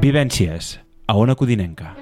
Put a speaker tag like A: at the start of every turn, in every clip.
A: Vivències, a Ona Codinenca.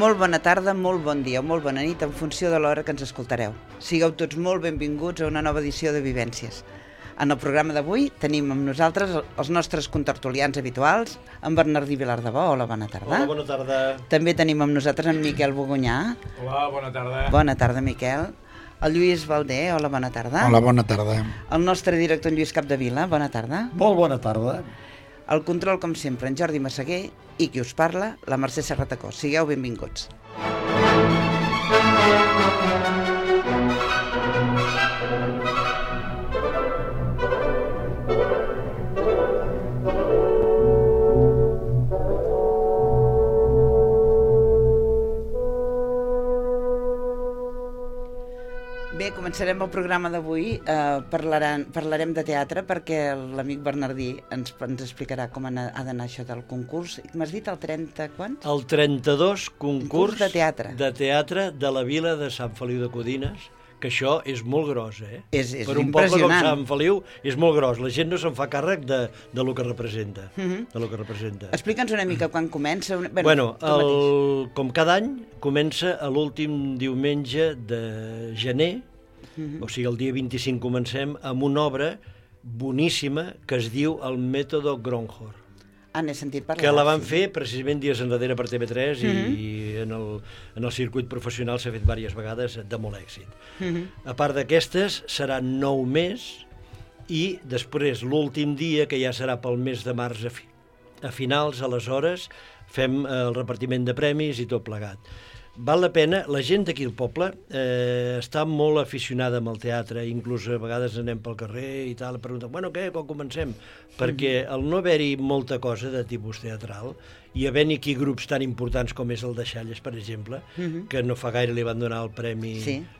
B: Molt bona tarda, molt bon dia o molt bona nit en funció de l'hora que ens escoltareu. Sigueu tots molt benvinguts a una nova edició de Vivències. En el programa d'avui tenim amb nosaltres els nostres contertulians habituals, en Bernardí Vilardebó. Hola, bona tarda.
C: Hola, bona tarda.
B: També tenim amb nosaltres en Miquel Bogunyà.
D: Hola, bona tarda.
B: Bona tarda, Miquel. El Lluís Valdé. Hola, bona tarda.
E: Hola, bona tarda.
B: El nostre director, en Lluís Capdevila. Bona tarda.
C: Molt bona tarda.
B: El control, com sempre, en Jordi Massaguer, i qui us parla, la Mercè Serratacó. Sigueu benvinguts. Bé, començarem el programa d'avui. Parlarem de teatre perquè l'amic Bernardí ens explicarà com ha d'anar això del concurs. M'has dit el 30 quants?
C: El 32 concurs
B: de teatre
C: de la vila de Sant Feliu de Codines, que això és molt gros,
B: És
C: per un poble com Sant Feliu és molt gros. La gent no se'n fa càrrec de lo que representa.
B: Explica'ns una mica quan comença.
C: Com cada any, comença l'últim diumenge de gener, o sigui, el dia 25 comencem amb una obra boníssima que es diu El mètode Gronhoff.
B: N'he sentit parlar.
C: Que la van fer precisament dies enrere per TV3 i en el circuit professional s'ha fet diverses vegades de molt èxit. A part d'aquestes, seran 9 més i després l'últim dia, que ja serà pel mes de març a finals, aleshores, fem el repartiment de premis i tot plegat. Val la pena, la gent d'aquí al poble està molt aficionada amb el teatre, inclús a vegades anem pel carrer i tal, pregunten, bueno, què, quan comencem? Perquè al no haver-hi molta cosa de tipus teatral i havent-hi aquí grups tan importants com és el de Xalles, per exemple, que no fa gaire li van donar el premi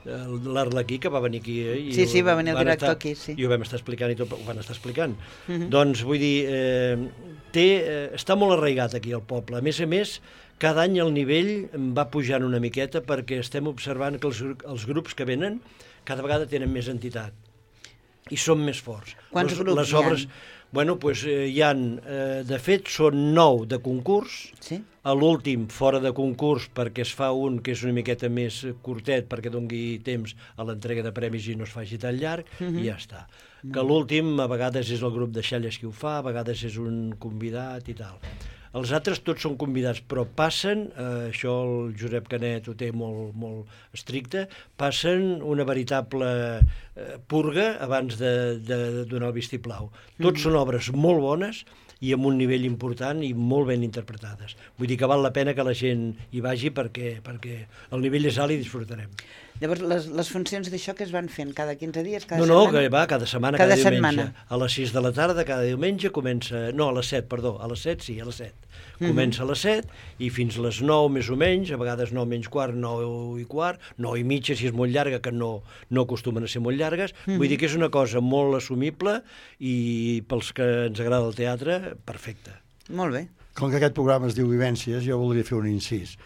C: l'Arlequí, que va venir aquí.
B: Sí, va venir el director aquí, sí.
C: I ho vam estar explicant i tot, ho van estar explicant. Doncs, vull dir, està molt arraigat aquí al poble. A més, cada any el nivell va pujant una miqueta perquè estem observant que els grups que venen cada vegada tenen més entitat i són més forts.
B: Quants grups hi ha?
C: Bueno, doncs hi ha, de fet, són 9 de concurs.
B: Sí?
C: A l'últim, fora de concurs, perquè es fa un que és una miqueta més curtet perquè doni temps a l'entrega de premis i no es faci tan llarg, i ja està. Que l'últim, a vegades és el grup de Xalles qui ho fa, a vegades és un convidat i tal. Els altres tots són convidats, però passen, això el Josep Canet ho té molt estricte, passen una veritable purga abans de donar el vistiplau. Tots són obres molt bones i amb un nivell important i molt ben interpretades. Vull dir que val la pena que la gent hi vagi perquè el nivell és alt i disfrutarem.
B: Llavors, les funcions d'això que es van fent cada 15 dies, cada
C: setmana?
B: No,
C: que va cada setmana, cada diumenge. A les 6 de la tarda, cada diumenge, comença... No, a les 7, perdó, a les 7, sí, a les 7. Comença a les 7 i fins a les 9 més o menys, a vegades 9 menys quart, 9 i quart, 9 i mitja si és molt llarga, que no acostumen a ser molt llargues. Vull dir que és una cosa molt assumible i pels que ens agrada el teatre, perfecte.
B: Molt bé.
E: Com que aquest programa es diu Vivències, jo voldria fer un incís.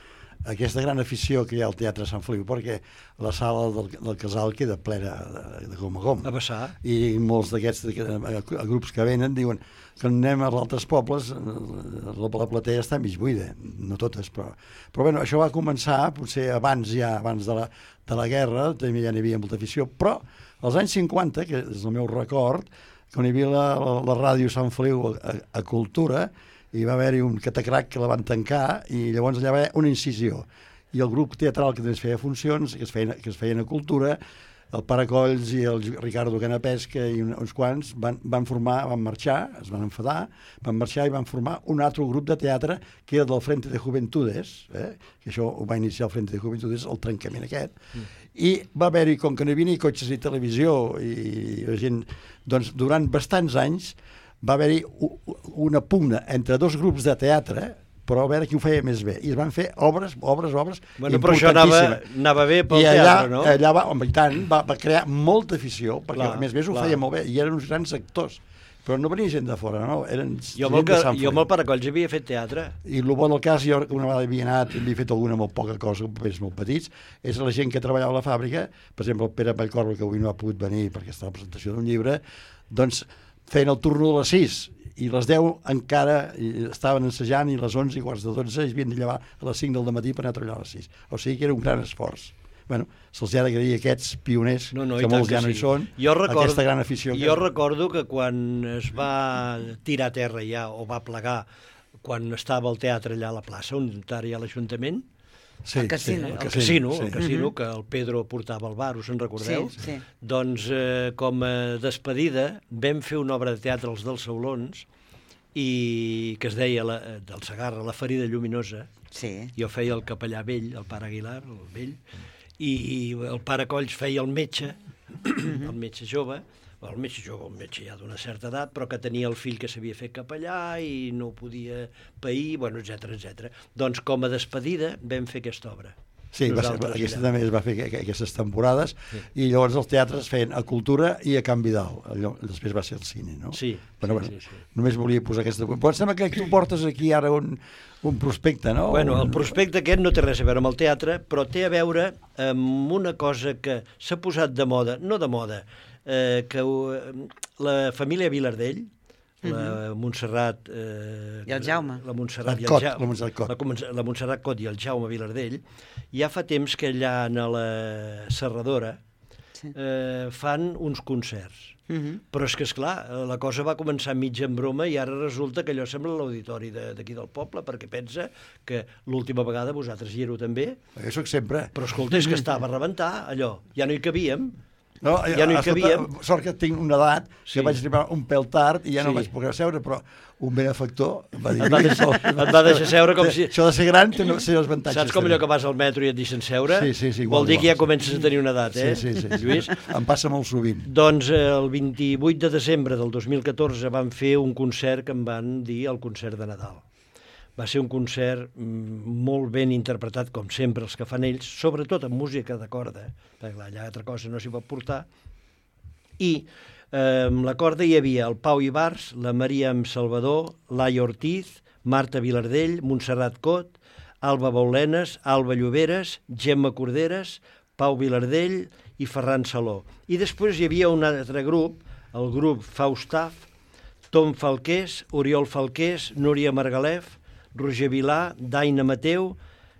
E: Aquesta gran afició que hi ha al Teatre Sant Feliu, perquè la sala del Casal queda plena de gom a gom.
C: A vessar.
E: I molts d'aquests grups que venen diuen que anem als altres pobles, la platea està mig buida, no totes, però bueno, això va començar potser abans de la guerra, també ja n'hi havia molta afició, però als anys 50, que és el meu record, quan hi havia la ràdio Sant Feliu a Cultura, hi va haver-hi un catacrac que la van tancar i llavors allà va haver una incisió. I el grup teatral que també es feia funcions, que es feien a Cultura, el Pare Colls i el Ricardo Canapesca i uns quants van marxar, es van enfadar, van marxar i van formar un altre grup de teatre que era del Frente de Juventudes, que això ho va iniciar el Frente de Juventudes, el trencament aquest, i va haver-hi, com que no hi havia ni cotxes ni televisió i la gent, doncs durant bastants anys va haver-hi una pugna entre dos grups de teatre però a veure qui ho feia més bé. I es van fer obres
C: Bueno, però això
E: importantíssimes.
C: anava bé pel
E: I allà,
C: teatre, no?
E: allà home, i tant, va crear molta afició, perquè
C: Clar,
E: a més ho feia molt bé, i eren uns grans actors. Però no venia gent de fora, no? Eren
C: Jo
E: gent de Sant
C: amb el Paracolls havia fet teatre.
E: I el bo del cas, jo una vegada havia anat i havia fet alguna molt poca cosa, papers molt petits, és la gent que treballava a la fàbrica, per exemple el Pere Vallcorba, que avui no ha pogut venir perquè està a la presentació d'un llibre, doncs feien el turno de les 6 i les 10 encara estaven ensejant i les 11 i quarts de 12 es havien de llevar a les 5 del matí per anar a treballar a les 6. O sigui que era un gran esforç. Bueno, se'ls ha d'agrair aquests pioners, que molts ja no hi són, aquesta gran afició.
C: Jo recordo que quan es va tirar a terra ja, o va plegar, quan estava el teatre allà a la plaça, on ara hi ha l'Ajuntament,
B: el casino,
C: que el Pedro portava al bar, us en recordeu?
B: Sí.
C: Doncs com a despedida vam fer una obra de teatre als dels Saulons, i que es deia del Segarra, La ferida lluminosa. Jo feia el capellà vell, el pare Aguilar, el vell, i el pare Colls feia el metge, el metge jove, un metge ja d'una certa edat, però que tenia el fill que s'havia fet capellà i no podia pair, bueno, etc. Doncs com a despedida vam fer aquesta obra.
E: Sí, aquesta també es va fer aquestes temporades, i llavors els teatres feien a Cultura i a Can Vidal. Després va ser el cine, no?
C: Sí.
E: Només volia posar aquesta... Però em sembla que tu portes aquí ara un prospecte, no?
C: Bueno, el prospecte aquest no té res a veure amb el teatre, però té a veure amb una cosa que s'ha posat de moda, no de moda, que la família Vilardell, la Montserrat
B: i el Jaume,
C: la Montserrat Cot i el Jaume Vilardell, ja fa temps que allà a la Serradora fan uns concerts. Però és que, esclar, la cosa va començar mig en broma i ara resulta que allò sembla l'auditori d'aquí del poble, perquè pensa que l'última vegada vosaltres hi éreu també.
E: Jo soc sempre.
C: Però escolta, és que estava a rebentar allò, ja no hi cabíem.
E: No,
C: ja no hi cabíem.
E: Sort que tinc una edat que vaig arribar un pèl tard i ja no vaig poder seure, però un benefactor va dir...
C: Et va deixar seure com si...
E: Això de ser gran té els avantatges.
C: Saps com allò que vas al metro i et deixen seure?
E: Sí.
C: Vol dir que ja comences a tenir una edat,
E: Sí.
C: Lluís?
E: Em passa molt sovint.
C: Doncs el 28 de desembre del 2014 vam fer un concert que em van dir el concert de Nadal. Va ser un concert molt ben interpretat, com sempre, els que fan ells, sobretot amb música de corda, perquè allà altra cosa no s'hi pot portar, i amb la corda hi havia el Pau Ibars, la Maria Salvador, Laia Ortiz, Marta Vilardell, Montserrat Cot, Alba Baulenes, Alba Lloberes, Gemma Corderes, Pau Vilardell i Ferran Saló. I després hi havia un altre grup, el grup Faustaf, Tom Falqués, Oriol Falqués, Núria Margalef, Roger Vilà, Daina Mateu,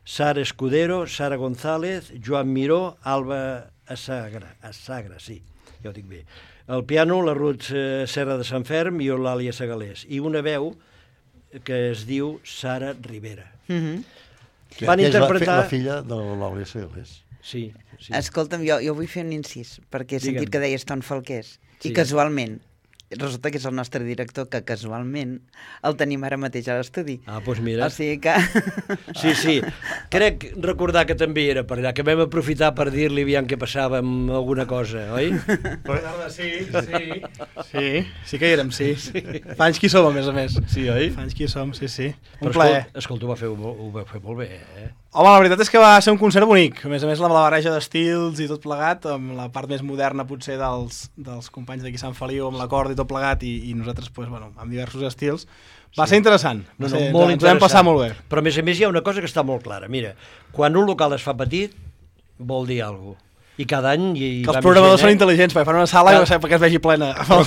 C: Sara Escudero, Sara González, Joan Miró, Alba Assagra, sí, ja ho dic bé. El piano, la Ruth Serra de Sant Ferm i Eulàlia Segalés. I una veu que es diu Sara Rivera.
E: Van interpretar... La filla de l'Eulàlia Segalés.
C: Sí.
B: Escolta'm, jo vull fer un incís, perquè he sentit que deies Tom Falqués, i casualment resulta que és el nostre director, que casualment el tenim ara mateix a l'estudi.
C: Doncs mira.
B: O sigui que...
C: Sí. Crec recordar que també era per allà, que vam aprofitar per dir-li aviam què passava amb alguna cosa, oi?
D: Sí que hi érem, sí. Fa anys que hi som, a més.
C: Sí, oi?
D: Fa anys que hi som, sí.
C: Un plaer. Escolta, ho va fer molt bé,
D: Home, la veritat és que va ser un concert bonic. A més, la barreja d'estils i tot plegat, amb la part més moderna, potser, dels companys d'aquí Sant Feliu, amb la corda i tot plegat, i nosaltres, amb diversos estils. Va ser interessant.
C: Molt interessant.
D: Ens vam passar molt bé.
C: Però, a més, hi ha una cosa que està molt clara. Mira, quan un local es fa petit, vol dir alguna cosa. I cada any...
D: Que els programadors són intel·ligents, perquè fan una sala i perquè es vegi plena.
C: Però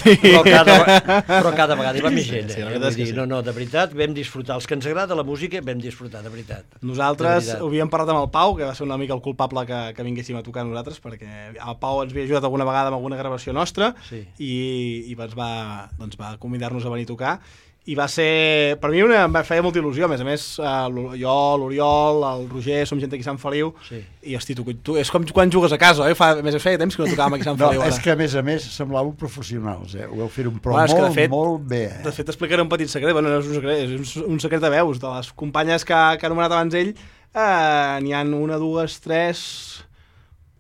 C: cada vegada hi va més gent. No, de veritat, vam disfrutar. Els que ens agrada la música, vam disfrutar, de veritat.
D: Nosaltres ho havíem parlat amb el Pau, que va ser una mica el culpable que vinguéssim a tocar nosaltres, perquè el Pau ens havia ajudat alguna vegada amb alguna gravació nostra i ens va convidar-nos a venir a tocar. I va ser, per mi em feia molta il·lusió, a més, jo, l'Oriol, el Roger, som gent d'aquí a Sant Feliu, i hosti, tu és com quan jugues a casa, oi? Feia temps que no tocàvem aquí a Sant Feliu.
E: No, és que a més semblàveu professionals, ho vau fer molt bé.
D: De fet, t'explicaré un petit secret, no és un secret, és un secret de veus, de les companyes que ha anomenat abans ell, n'hi ha 1, 2, 3...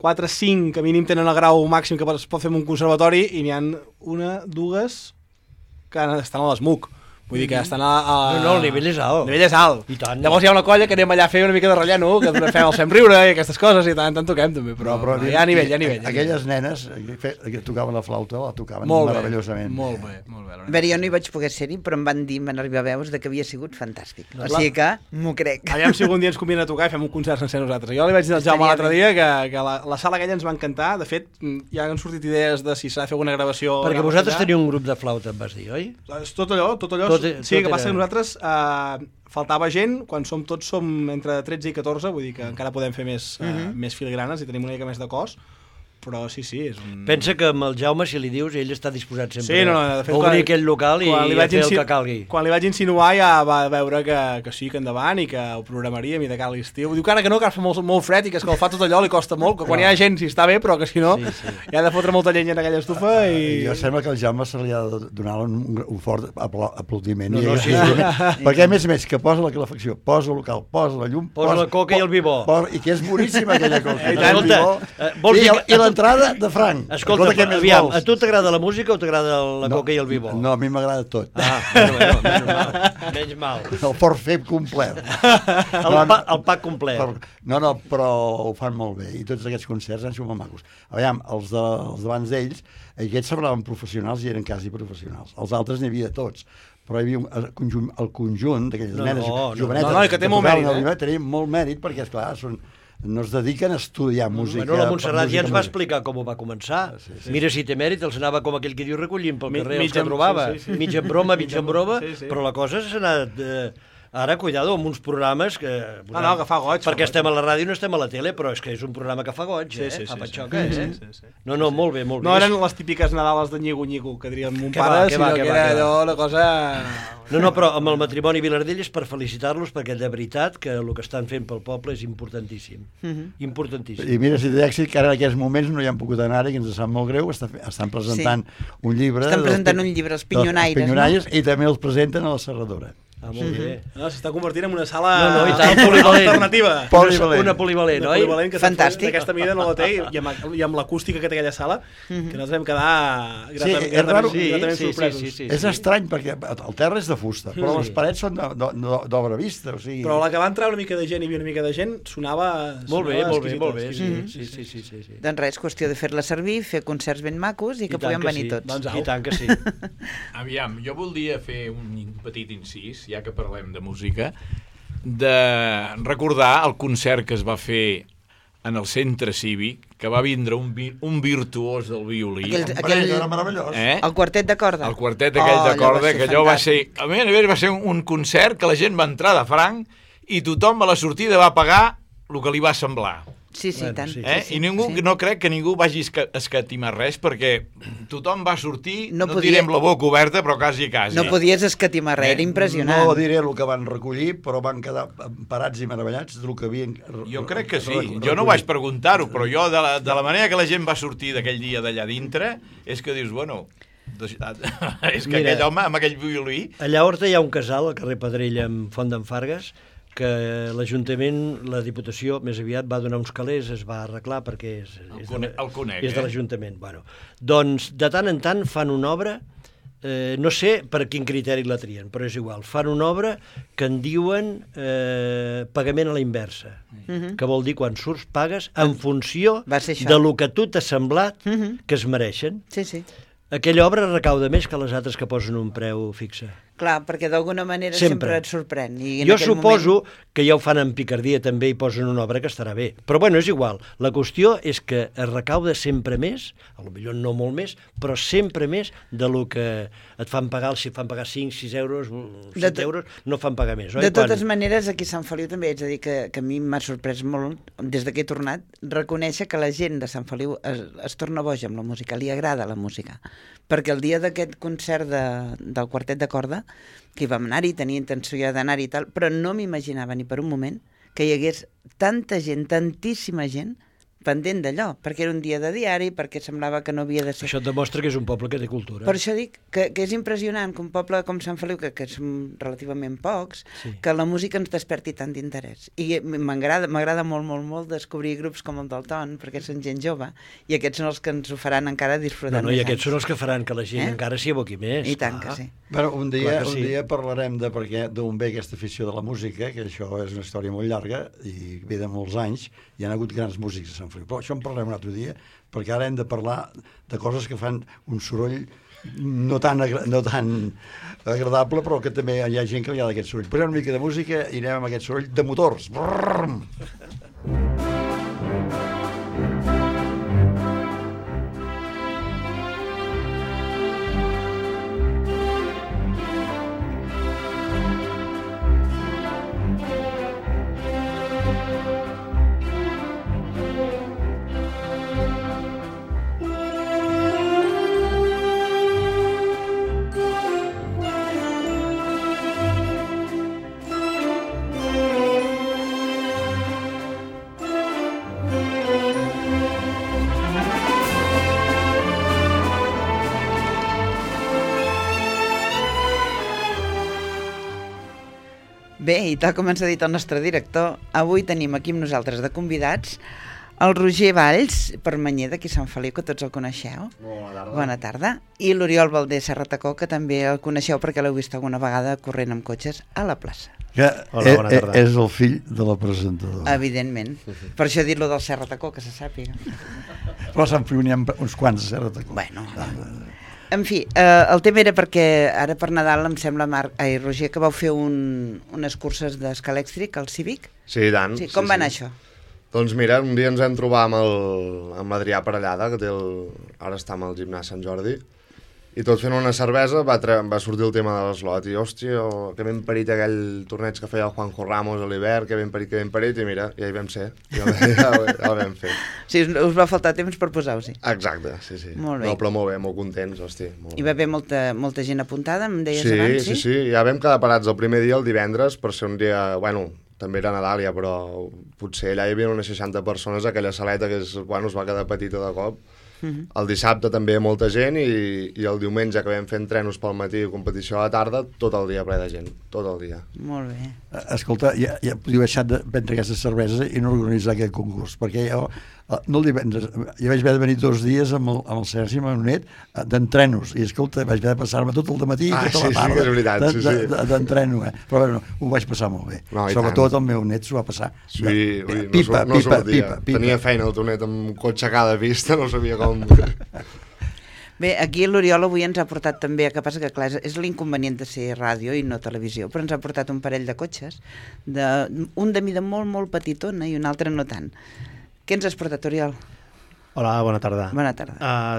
D: 4, 5, que a mínim tenen el grau màxim que es pot fer en un conservatori, i n'hi ha 1, 2 que estan a l'ESMUC. Vull dir que estan
C: No, el nivell és alt.
D: El nivell és alt.
C: I tant.
D: Llavors hi ha una colla que anem allà a fer una mica de relleno, que els fem riure i aquestes coses, i tant toquem també, però hi ha nivell, hi ha nivell.
E: Aquelles nenes que tocaven la flauta, la tocaven meravellosament.
D: Molt bé.
B: A veure, jo no hi vaig poder ser-hi, però em van dir, van arribar veus de que havia sigut fantàstic. O sigui que m'ho crec.
D: Aviam si algun dia ens conviden a tocar i fem un concert sencer nosaltres. Jo li vaig dir al Jaume l'altre dia que la sala aquella ens va encantar. De fet, ja han sortit idees de si s'ha de fer alguna gravació.
C: Perquè vosaltres teniu un grup de flauta, em vas dir, oi?
D: Tot allò. Sí, que passa que nosaltres faltava gent, quan tots som entre 13 i 14, vull dir que encara podem fer més filigranes i tenim una mica més de cos, però sí, és un...
C: Pensa que amb el Jaume, si li dius, ell està disposat sempre
D: de fet,
C: a obrir aquell local i a fer el que calgui.
D: Quan li vaig insinuar ja va veure que sí, que endavant i que ho programaríem i de cara a l'estiu. Diu que ara que no, que ara fa molt fred i que escalfar tot allò li costa molt, que quan hi ha gent sí està bé, però que si no hi ha de fotre molta llenya en aquella estufa i...
E: Jo sembla que al Jaume se li ha de donar un fort aplaudiment.
C: Sí.
E: Perquè a més que posa la calefacció, posa el local, posa la llum,
C: posa la coca i el bibó.
E: I que és boníssima aquella coca.
C: I
E: l'entrada de franc.
C: Escolta, aviam, a tu t'agrada la música o t'agrada la coca i el bibó?
E: No, a mi m'agrada tot.
C: Menys mal.
E: El forfait complet.
C: El pack complet.
E: No, però ho fan molt bé i tots aquests concerts han sigut molt macos. Aviam, els d'abans d'ells, aquests semblaven professionals i eren quasi professionals. Els altres n'hi havia de tots. Però hi havia el conjunt d'aquelles nenes jovenetes
D: que té molt mèrit.
E: Tenia molt mèrit perquè, esclar, no es dediquen a estudiar música.
C: La Montserrat ja ens va explicar com ho va començar. Mira si té mèrit, els anava com aquell que diu recollint pel carrer els que trobava. Mig en broma, però la cosa s'ha anat... Ara, cuidado, amb uns programes que...
D: No, que fa goig.
C: Perquè estem a la ràdio i no estem a la tele, però és que és un programa que fa goig, fa patxoca, No, molt bé.
D: No eren les típiques Nadales de nyigo-nyigo, que diríem mon pare, sinó que era allò, una cosa...
C: No, però amb el matrimoni Vilardell és per felicitar-los, perquè de veritat que el que estan fent pel poble és importantíssim. Importantíssim.
E: I mira, si té èxit, que ara en aquests moments no hi han pogut anar-hi, que ens sap molt greu, estan presentant un llibre...
B: Estan presentant un llibre, els Pinyonaires,
E: i també els presenten a la Serradora.
C: Molt bé.
D: S'està convertint en una sala
C: alternativa.
D: Una
C: polivalent, oi?
B: Fantàstic.
D: D'aquesta mida no la té, i amb l'acústica que té aquella sala, que nosaltres vam quedar gratament sorpresos.
E: És estrany, perquè el terra és de fusta, però les parets són d'obra vista.
D: Però a la que va entrar una mica de gent, hi havia una mica de gent, sonava...
C: Molt bé. Sí.
B: Doncs res, qüestió de fer-la servir, fer concerts ben macos i que puguem venir tots.
C: I tant que sí.
F: Aviam, jo voldria fer un petit incís, ja que parlem de música, de recordar el concert que es va fer en el centre cívic, que va vindre un virtuós del violí.
E: Era meravellós.
B: El quartet de corda.
F: El quartet aquell de corda, que allò va ser... A més va ser un concert que la gent va entrar de franc i tothom a la sortida va pagar el que li va semblar.
B: Sí, tant.
F: I ningú, no crec que ningú vagi escatimar res, perquè tothom va sortir, no direm la boca oberta, però quasi.
B: No podies escatimar res, era impressionant.
E: No diré el que van recollir, però van quedar parats i meravellats del que havien...
F: Jo crec que sí, jo no vaig preguntar-ho, però jo, de la manera que la gent va sortir d'aquell dia d'allà dintre, és que dius, bueno... és que aquell home amb aquell violí...
C: Allà a Horta hi ha un casal, al carrer Pedrell, amb Font d'en Fargues, que l'Ajuntament, la Diputació, més aviat va donar uns calés, es va arreglar perquè és de l'Ajuntament. Doncs de tant en tant fan una obra, no sé per quin criteri la trien, però és igual, fan una obra que en diuen pagament a la inversa, que vol dir quan surts pagues en funció de lo que tu t'ha semblat que es mereixen.
B: Sí.
C: Aquella obra recauda més que les altres que posen un preu fixe.
B: Clar, perquè d'alguna manera sempre et sorprèn.
C: Jo suposo que ja ho fan en picardia també i posen una obra que estarà bé. Però bueno, és igual. La qüestió és que es recauda sempre més, potser no molt més, però sempre més de lo que et fan pagar, si et fan pagar 5, 6 euros, 7 euros, no fan pagar més.
B: De totes maneres, aquí a Sant Feliu també haig de dir que a mi m'ha sorprès molt, des que he tornat, reconèixer que la gent de Sant Feliu es torna boja amb la música, li agrada la música. Perquè el dia d'aquest concert del quartet de corda, que hi vam anar-hi, tenia intenció ja d'anar-hi i tal, però no m'imaginava ni per un moment que hi hagués tanta gent, tantíssima gent, pendent d'allò, perquè era un dia de diari, perquè semblava que no havia de ser...
C: Això et demostra que és un poble que té cultura.
B: Per això dic que és impressionant que un poble com Sant Feliu, que som relativament pocs,
C: Sí.
B: que la música ens desperti tant d'interès. I m'agrada molt, molt, molt descobrir grups com el del Ton, perquè són gent jove, i aquests són els que ens ho faran encara disfrutar
C: No, i aquests són els que faran que la gent encara s'hi aboqui més.
B: I tant que sí.
E: Bueno, un
C: Clar que sí.
E: dia parlarem de d'on ve aquesta afició de la música, que això és una història molt llarga i ve de molts anys, hi ha hagut grans músics a Sant Feliu. Però això en parlarem un altre dia, perquè ara hem de parlar de coses que fan un soroll no tan agradable, però que també hi ha gent que li ha d'aquest soroll. Posem una mica de música i anem amb aquest soroll de motors. Brrrm!
B: Bé, i tal com ens ha dit el nostre director, avui tenim aquí amb nosaltres de convidats el Roger Valls, permanyer d'aquí Sant Feliu, que tots el coneixeu.
E: Bona tarda.
B: Bona tarda. I l'Oriol Valdés Serratacó, que també el coneixeu perquè l'heu vist alguna vegada corrent amb cotxes a la plaça.
E: Que
G: Hola, bona tarda.
E: és el fill de la presentadora.
B: Evidentment. Per això he dit lo del Serratacó, que se sàpiga.
E: Però a Sant Feliu n'hi ha uns quants, Serratacó.
B: Bueno, en fi, el tema era perquè ara per Nadal em sembla, Roger, que vau fer unes curses d'escalèxtric al Cívic.
G: Sí, i tant.
B: Sí, com va anar això?
G: Doncs mira, un dia ens vam trobar amb l'Adrià Parellada, que ara està amb el gimnàs Sant Jordi, i tot fent una cervesa va sortir el tema de l'eslot, i hòstia, que ben parit aquell torneig que feia el Juanjo Ramos a l'hivern, que ben parit, i mira, ja hi vam ser, ja el vam fer.
B: Sí, us va faltar temps per posar-vos-hi.
G: Exacte, sí.
B: Molt bé.
G: No, però molt bé, molt contents, hosti. Molt
B: Hi va haver molta gent apuntada, em deies
G: sí,
B: abans, sí?
G: Sí, ja vam quedar parats el primer dia, el divendres, per ser un dia, bueno, també era Nadal ja, però potser allà hi havia unes 60 persones, aquella saleta que es va quedar petita de cop. El dissabte també molta gent i el diumenge que vam fer entrenos pel matí i competició a la tarda, tot el dia ple de gent, tot el dia.
B: Molt bé.
E: Escolta, ja podíeu deixar de prendre aquestes cerveses i no organitzar aquest concurs, perquè jo no el divendres, jo vaig haver de venir 2 dies amb el Sergi Manonet d'entrenos, i escolta, vaig haver de passar-me tot el dematí i tota la tarda
G: que és veritat,
E: d'entreno, però bueno, ho vaig passar molt bé.
G: No,
E: sobretot el meu net s'ho va passar.
G: Sí,
E: pipa.
G: Tenia feina el teu net amb cotxe a cada pista, no sabia com...
B: Bé, aquí l'Oriol avui ens ha portat també, que passa que clar, és l'inconvenient de ser ràdio i no televisió, però ens ha portat un parell de cotxes, un de mida molt, molt petitona i un altre no tant. Què ens has portat, Oriol?
H: Hola, bona tarda.
B: Bona tarda.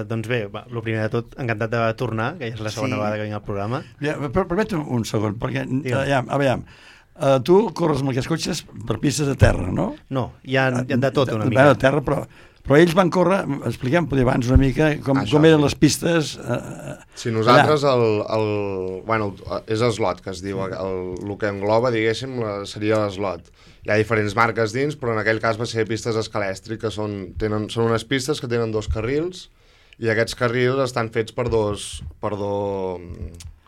H: Doncs bé, el primer de tot, encantat de tornar, que ja és la segona vegada que vinc al programa.
E: Ja, permetem un segon, perquè, aviam, tu corres amb aquests cotxes per pistes de terra, no?
H: No, hi ha de tot una mica.
E: De terra, però ells van córrer, expliquem abans una mica com eren les pistes.
G: Si nosaltres, és slot, que es diu, el que engloba, diguéssim, seria l'eslot. Hi ha diferents marques dins, però en aquell cas va ser pistes escalèstric, que són unes pistes que tenen 2 carrils, i aquests carrils estan fets per dos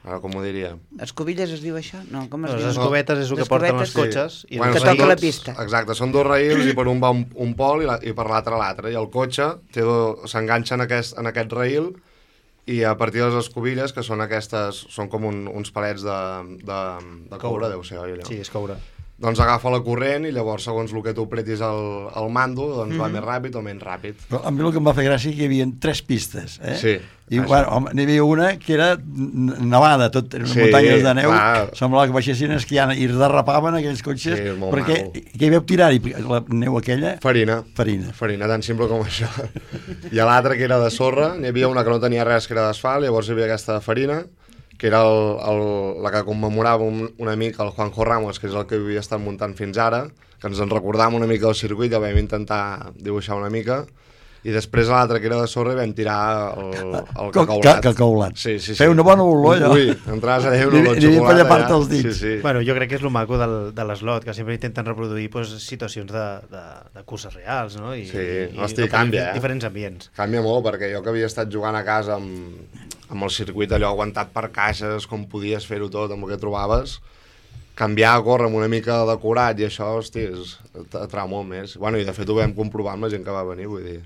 G: ara, com ho diria?
B: Escobilles es diu això? No, com es diu?
H: Les escobetes és el que porten els cotxes.
B: Sí. Que toca la pista.
G: Exacte, són 2 raïls i per un va un pol i per l'altre l'altre. I el cotxe s'enganxa en aquest raïl i a partir de les escobilles, que són aquestes, són com uns palets de coure, deu ser, oi allò?
H: Sí, és coure.
G: Doncs agafa la corrent i llavors, segons el que tu apretis al mando, doncs va més ràpid o menys ràpid.
E: Però a mi el que em va fer gràcia que hi havia 3 pistes,
G: Sí.
E: I n'hi havia una que era nevada, tot eren muntanyes de neu, semblava que baixessin esquiant i es derrapaven aquells cotxes, perquè què hi vau tirar-hi? La neu aquella?
G: Farina, tan simple com això. I a l'altra, que era de sorra, n'hi havia una que no tenia res, que era d'asfalt, llavors hi havia aquesta de farina, que era la que commemorava una mica el Juanjo Ramos, que és el que havia estat muntant fins ara, que ens en recordàvem una mica del circuit, que vam intentar dibuixar una mica, i després a l'altra que era de sorra vam tirar el cacaulat.
E: Cacaulat.
G: Sí.
E: Feia una bona olor, allò.
G: Ui, entraves a dir una olor de xocolata.
E: Ni per llepar-te els dits.
G: Sí.
H: Bueno, jo crec que és el maco de l'Slot, que sempre intenten reproduir situacions de curses reals, no?
G: Hosti, canvia,
H: diferents ambients.
G: Canvia molt, perquè jo que havia estat jugant a casa amb el circuit allò aguantat per caixes, com podies fer-ho tot, amb el que trobaves, canviar a córrer amb una mica decorat i això, hosti, atrau molt més. Bueno, i de fet ho vam comprovar amb la gent que va venir, vull dir.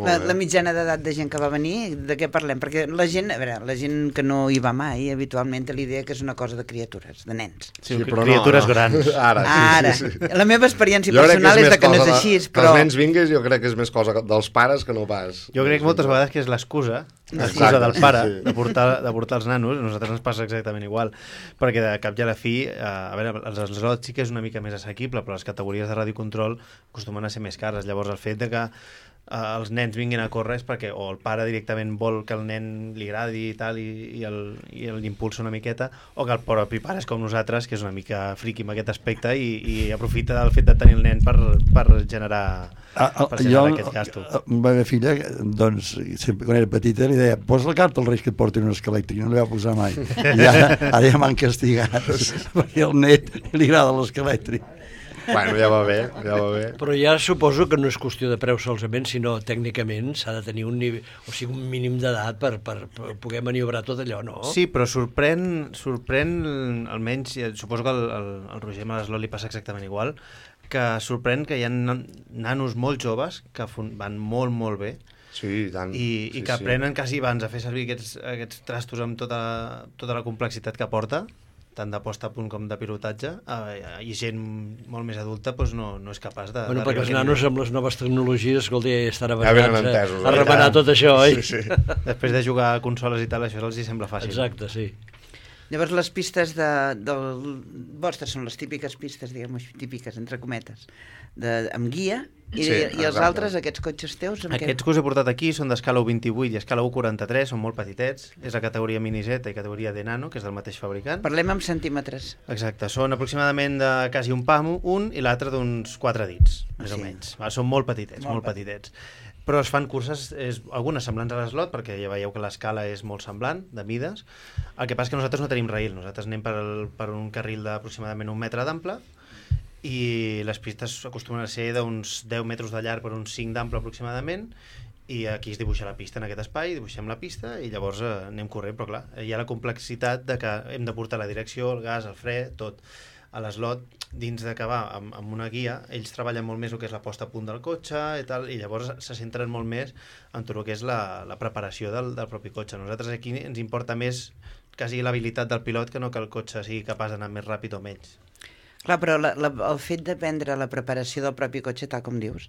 B: La mitjana d'edat de gent que va venir, de què parlem? Perquè la gent que no hi va mai, habitualment té l'idea que és una cosa de criatures, de nens.
H: Sí, però criatures grans.
B: Ara. Sí. La meva experiència personal és que no és així, però...
G: Que els nens vinguis jo crec que és més cosa dels pares que no pas.
H: Jo crec moltes vegades que és l'excusa del pare de portar els nanos. A nosaltres ens passa exactament igual, perquè de cap i a la fi, a veure, els slots sí que és una mica més assequible, però les categories de radiocontrol acostumen a ser més cares. Llavors el fet de que els nens vinguin a córrer és perquè o el pare directament vol que el nen li agradi i tal, i l'impulsa una miqueta, o que el propi pare és com nosaltres, que és una mica friqui amb aquest aspecte i aprofita del fet de tenir el nen per generar aquest gasto.
E: La meva filla, doncs, sempre quan era petita li deia, posa la carta als Reis que et portin un esquelèctric, no li va posar mai. I ara ja m'han castigat perquè al net li agrada l'esquelèctric.
G: Bueno, ja va bé.
C: Però ja suposo que no és qüestió de preu solament, sinó tècnicament s'ha de tenir un nivell, o sigui, un mínim d'edat per poder maniobrar tot allò, no?
H: Sí, però sorprèn almenys, suposo que el Roger amb l'Slot li passa exactament igual, que sorprèn que hi ha nanos molt joves que van molt, molt bé.
G: Sí, i tant.
H: I que aprenen quasi abans a fer servir aquests trastos amb tota la complexitat que porta, tant de posta a punt com de pilotatge, i gent molt més adulta doncs no és capaç de...
C: Bueno, perquè els nanos amb les noves tecnologies, escolta, estan
G: avançats
C: a remenar tot això, oi?
G: Sí.
H: Després de jugar a consoles i tal, això els hi sembla fàcil.
C: Exacte, sí.
B: Llavors les pistes vostres són les típiques pistes, diguem-ho, típiques, entre cometes, amb guia, i els altres, aquests cotxes teus...
H: Aquests que us he portat aquí són d'escala 1.28 i escala 1.43, són molt petitets, és la categoria Mini Z i categoria de Nano, que és del mateix fabricant.
B: Parlem amb centímetres.
H: Exacte, són aproximadament de quasi un pam, un i l'altre d'uns 4 dits, més o menys. Són molt petitets, molt petitets. Però es fan curses, algunes semblants a l'Slot, perquè ja veieu que l'escala és molt semblant, de mides. El que passa és que nosaltres no tenim rail, nosaltres anem per un carril d'aproximadament 1 metre d'ample, i les pistes acostumen a ser d'uns 10 metres de llarg per uns 5 d'ample aproximadament, i aquí es dibuixa la pista en aquest espai, dibuixem la pista i llavors anem corrent, però clar, hi ha la complexitat de que hem de portar la direcció, el gas, el fre, tot. A l'Slot, dins d'acabar amb una guia, ells treballen molt més el que és la posta a punt del cotxe i tal, i llavors se centren molt més en tot el que és la preparació del propi cotxe. Nosaltres aquí ens importa més quasi l'habilitat del pilot que no que el cotxe sigui capaç d'anar més ràpid o menys.
B: Clar, però el fet d'aprendre la preparació del propi cotxe, tal com dius,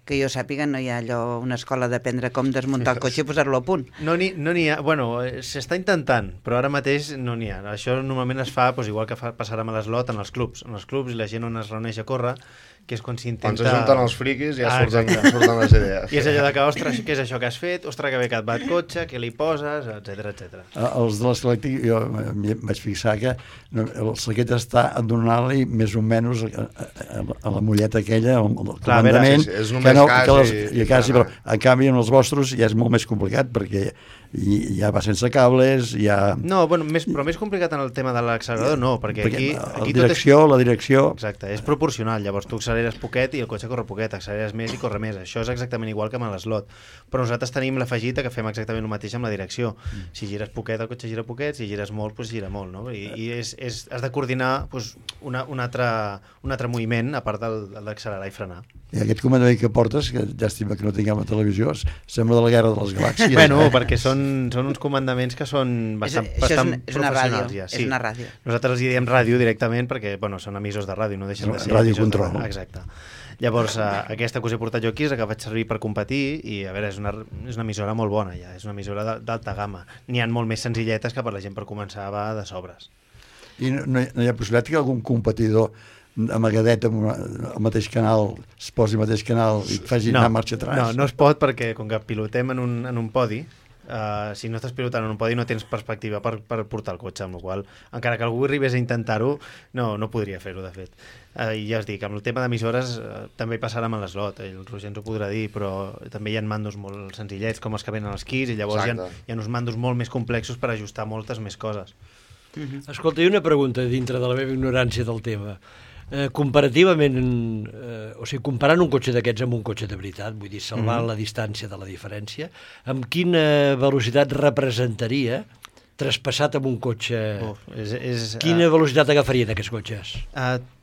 B: que jo sàpiga, no hi ha una escola d'aprendre com desmuntar el cotxe i posar-lo a punt.
H: No n'hi ha, bueno, s'està intentant, però ara mateix no n'hi ha. Això normalment es fa, igual que passarà amb l'Slot, en els clubs. En els clubs la gent on es reuneix a córrer, que és quan s'intenta...
G: Quan s'ajunten els friquis ja surten les idees.
H: I és allò que, ostres, què és això que has fet? Ostres, que bé que et va el cotxe, què li poses, etc.
E: Els de l'esclèctic, jo vaig fixar que el saquet està donant-li més o menys a la mulleta aquella, al comandament,
G: és només
E: quasi, però en canvi en els vostres ja és molt més complicat perquè ja va sense cables, ja...
H: No, bueno, però més complicat en el tema de l'accelerador no, perquè aquí
E: la direcció...
H: Exacte, és proporcional, llavors tu acceleres poquet i el cotxe corre poquet, acceleres més i corre més, això és exactament igual que amb l'Slot, però nosaltres tenim l'afegit que fem exactament el mateix amb la direcció, si gires poquet el cotxe gira poquet, si gires molt, doncs gira molt, no? I has de coordinar un altre moviment a part d'accelerar i frenar.
E: I aquest comandament que portes, que llàstima que no tinguem a televisió, sembla de la Guerra de les Galàxies.
H: Bueno, perquè són uns comandaments que són bastant professionals ja.
B: És una ràdio.
H: Nosaltres els diem ràdio directament perquè són emissors de ràdio, no deixen de ser
E: ràdio control.
H: Exacte. Llavors, aquesta que us he portat jo aquí és la que vaig servir per competir i, a veure, és una emissora molt bona ja, és una emissora d'alta gamma. N'hi ha molt més senzilletes que per la gent per començar va de sobres.
E: I no hi ha possibilitat que algun competidor amagadet amb el mateix canal es posi al mateix canal i et faci anar marxa atrás?
H: No es pot perquè com que pilotem en un podi, si no estàs pilotant en un podi no tens perspectiva per portar el cotxe, amb la qual encara que algú arribés a intentar-ho, no podria fer-ho, de fet. I ja us dic, amb el tema d'emissores també hi passarà amb l'Slot, el Roger ens ho podrà dir, però també hi ha mandos molt senzillets com els que venen als Keys, i llavors hi ha uns mandos molt més complexos per ajustar moltes més coses.
C: Escolta, hi ha una pregunta dintre de la meva ignorància del tema. Comparativament, o sigui, comparant un cotxe d'aquests amb un cotxe de veritat, vull dir, salvant la distància de la diferència, amb quina velocitat representaria traspassat amb un cotxe? Quina velocitat agafarien aquests cotxes?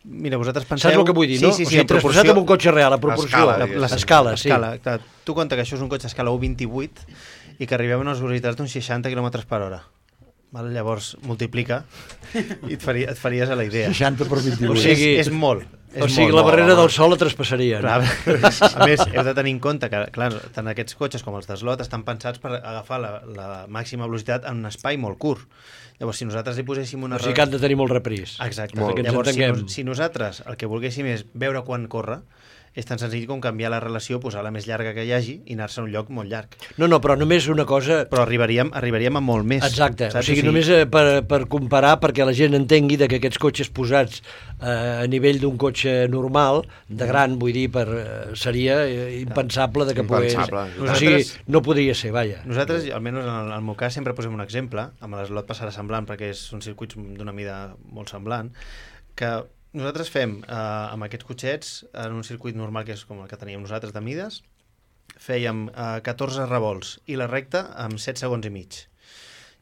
H: Mira, vosaltres penseu...
C: Saps el que vull dir, no?
H: Sí,
C: o sigui, traspassat amb un cotxe real, a proporció.
H: L'escala, sí. Tu compta que això és un cotxe a escala 1.28 i que arribem a unes velocitats d'uns 60 km/h. Llavors multiplica i et faries a la idea.
E: 60 per 28.
C: O sigui,
H: és molt.
C: O sigui, la barrera del sol la traspassarien.
H: Clar, a més, heu de tenir en compte que, clar, tant aquests cotxes com els d'Slot estan pensats per agafar la màxima velocitat en un espai molt curt. Llavors, si nosaltres hi poséssim una...
C: O sigui que han de tenir molt repris.
H: Exacte. Llavors, si nosaltres el que volguéssim és veure quan corre, és tan senzill com canviar la relació, posar la més llarga que hi hagi i anar-se a un lloc molt llarg.
C: No, però només una cosa...
H: Però arribaríem a molt més.
C: Exacte, saps? O sigui, només per comparar, perquè la gent entengui que aquests cotxes posats a nivell d'un cotxe normal, de gran, vull dir, seria impensable de que pogués... O sigui, no podria ser, vaja.
H: Nosaltres, almenys en el meu cas, sempre posem un exemple, amb l'Slot passarà semblant, perquè són circuits d'una mida molt semblant, que nosaltres fem amb aquests cotxets en un circuit normal que és com el que teníem nosaltres de mides, fèiem 14 revolts i la recta amb 7 segons i mig.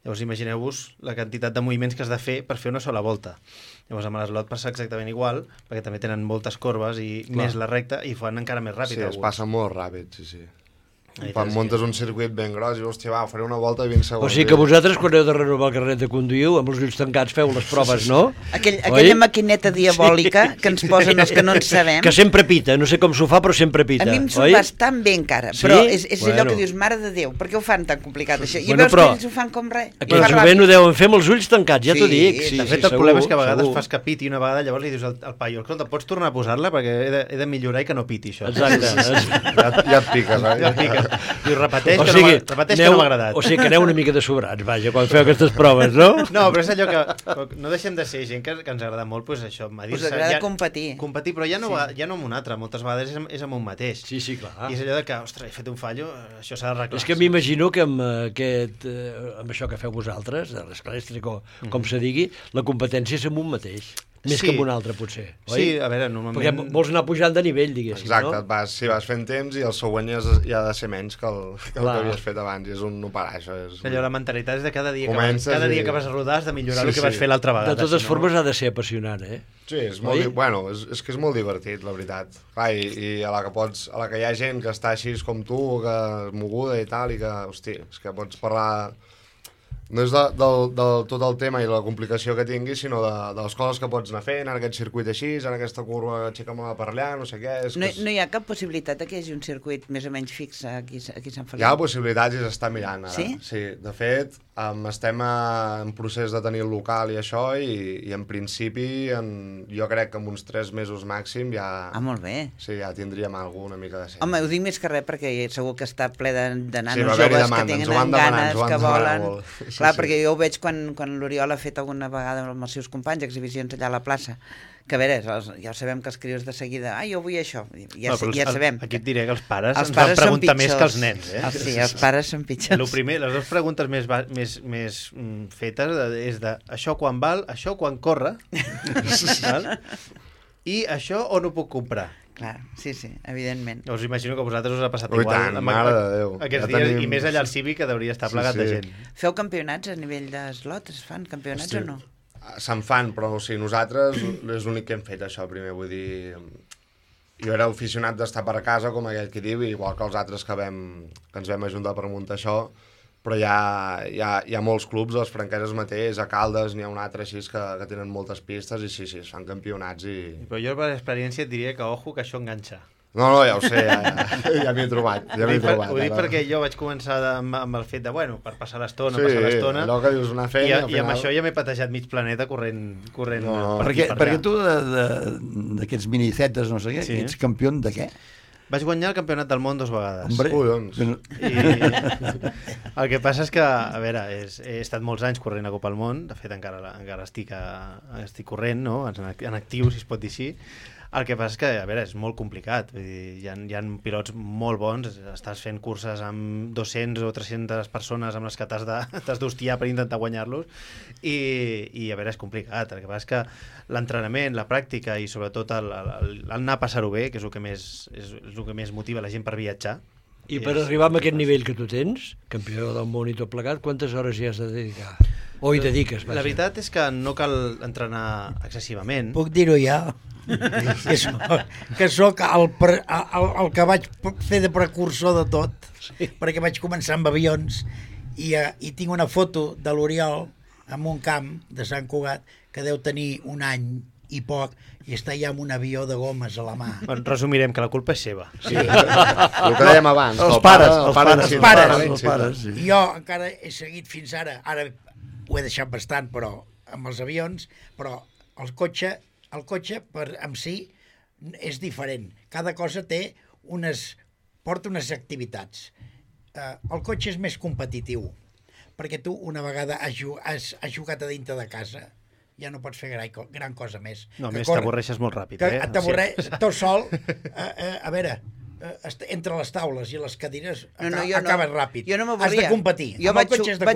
H: Llavors imagineu-vos la quantitat de moviments que has de fer per fer una sola volta. Llavors amb l'Slot passa exactament igual, perquè també tenen moltes corbes i més la recta i fan encara més ràpid.
G: Sí, es passa molt ràpid, sí. Quan muntes un circuit ben gros i hòstia, va, faré una volta de 20 segons.
C: O sigui que vosaltres, quan heu de renovar el carnet de conduir, amb els ulls tancats feu les proves, no?
B: Aquella maquineta diabòlica que ens posen els que no ens sabem.
C: Que sempre pita, no sé com s'ho fa, però sempre pita.
B: A mi em s'ho fa tan bé encara, però és allò que dius, mare de Déu, per què ho fan tan complicat això? I veus que ells ho fan com res.
C: Aquell jovent ho deuen fer amb els ulls tancats, ja t'ho dic.
H: De fet, el problema és que a vegades fas que piti una vegada, llavors li dius al paio, escolta, pots tornar a posar-la perquè he de millorar i que no piti això.
C: Exacte.
G: Ja et piques, eh?
H: Ja et piques. Dius, repeteix que no m'ha agradat.
C: O sigui que aneu una mica de sobrats, vaja, quan feu aquestes proves, no?
H: No, però és allò que no deixem de ser gent que ens agrada molt, doncs això,
B: us agrada competir.
H: Competir, però ja no amb un altre, moltes vegades és amb un mateix.
C: Sí, clar.
H: I és allò de que, ostres, he fet un fallo, això s'ha d'arreglar.
C: És que m'imagino que amb això que feu vosaltres, de l'escalèstric o com se digui, la competència és amb un mateix. Més que amb un altre, potser, oi?
H: Sí, a veure, normalment...
C: Perquè vols anar pujant de nivell, diguéssim,
G: no?
C: Exacte,
G: vas fent temps i el següent ja ha de ser menys que el que havies fet abans, i és un no parar, això.
H: Allò, la mentalitat és de cada dia que vas a rodar has de millorar el que vas fer l'altra vegada.
C: De totes formes ha de ser apassionant, eh?
G: Sí, és que és molt divertit, la veritat. Clar, i a la que hi ha gent que està així com tu, que és moguda i tal, i que, hosti, és que pots parlar... No és del tot el tema i la complicació que tinguis, sinó de les coses que pots anar fent, en aquest circuit així, en aquesta curva aixeca-me per allà, no sé què...
B: No hi ha cap possibilitat que hi hagi un circuit més o menys fix aquí a Sant Feliu?
G: Hi ha possibilitats i s'està mirant ara.
B: Sí?
G: Sí, de fet, estem en procés de tenir el local i això, i en principi, jo crec que en uns 3 mesos màxim ja...
B: Ah, molt bé.
G: Sí, ja tindríem una mica de
B: Home, ho dic més que res perquè segur que està ple de nanos joves que tenen ganes, que volen... Clar, perquè jo ho veig quan l'Oriol ha fet alguna vegada amb els seus companys exhibicions allà a la plaça, que a veure, ja sabem que els crios de seguida, jo vull això, ja sabem.
H: Aquí et diré que els pares ens van preguntar més que els nens, eh?
B: Sí, els pares són pitjors.
H: Les dues preguntes més fetes és de això quan val, això quan corre, i això on ho puc comprar.
B: Clar, sí, evidentment.
H: Us imagino que a vosaltres us ha passat
G: igual.
H: Tant,
G: mare de Déu.
H: Aquests dies, i més allà al Cívic, que hauria estar plegat de gent.
B: Feu campionats a nivell d'eslot? Es fan campionats o no?
G: Se'n fan, però nosaltres és l'únic que hem fet això primer, vull dir... Jo era aficionat d'estar per casa, com aquell que diu, igual que els altres que ens vam ajuntar per muntar això, però hi ha molts clubs, les franqueses mateix, a Caldes n'hi ha un altre així que tenen moltes pistes i sí, es fan campionats i...
H: Però jo per experiència et diria que ojo que això enganxa.
G: No, ja ho sé, ja m'hi he trobat.
H: Ho dic perquè jo vaig començar amb el fet de, per passar l'estona,
G: allò que dius anar fent...
H: I amb això ja m'he patejat mig planeta corrent
E: perquè tu d'aquests minicetes, no sé què, ets campió de què?
H: Vaig guanyar el campionat del món 2 vegades.
E: Hombre,
G: Collons.
H: El que passa és que, a veure, he estat molts anys corrent a Copa del Món, de fet encara estic corrent, no? En actiu, si es pot dir així. El que passa és que, a veure, és molt complicat. Vull dir, hi ha pilots molt bons, estàs fent curses amb 200 o 300 persones amb les que t'has d'hostiar per intentar guanyar-los i a veure, és complicat. El que passa és que l'entrenament, la pràctica i sobretot el anar a passar-ho bé, que és el que més motiva la gent per viatjar.
C: I per arribar a aquest nivell que tu tens, campió del món i tot plegat, quantes hores hi has de dedicar? O hi dediques?
H: La veritat és que no cal entrenar excessivament.
I: Puc dir-ho ja? que soc el que vaig fer de precursor de tot, perquè vaig començar amb avions i tinc una foto de l'Oriol en un camp de Sant Cugat que deu tenir un any i poc i està ja amb un avió de gomes a la mà.
H: Bueno, resumirem que la culpa és seva.
G: Sí. El que dèiem abans.
E: Els pares.
I: Sí. Jo encara he seguit fins ara ho he deixat bastant, però amb els avions, però el cotxe en si és diferent. Cada cosa porta unes activitats. El cotxe és més competitiu, perquè tu una vegada has jugat a dintre de casa, ja no pots fer gran cosa més.
H: No, més t'avorreixes molt ràpid.
I: T'avorreix tot sol. A veure, entre les taules i les cadires acabes ràpid.
B: Jo no m'avorria.
I: Has de competir.
B: Jo vaig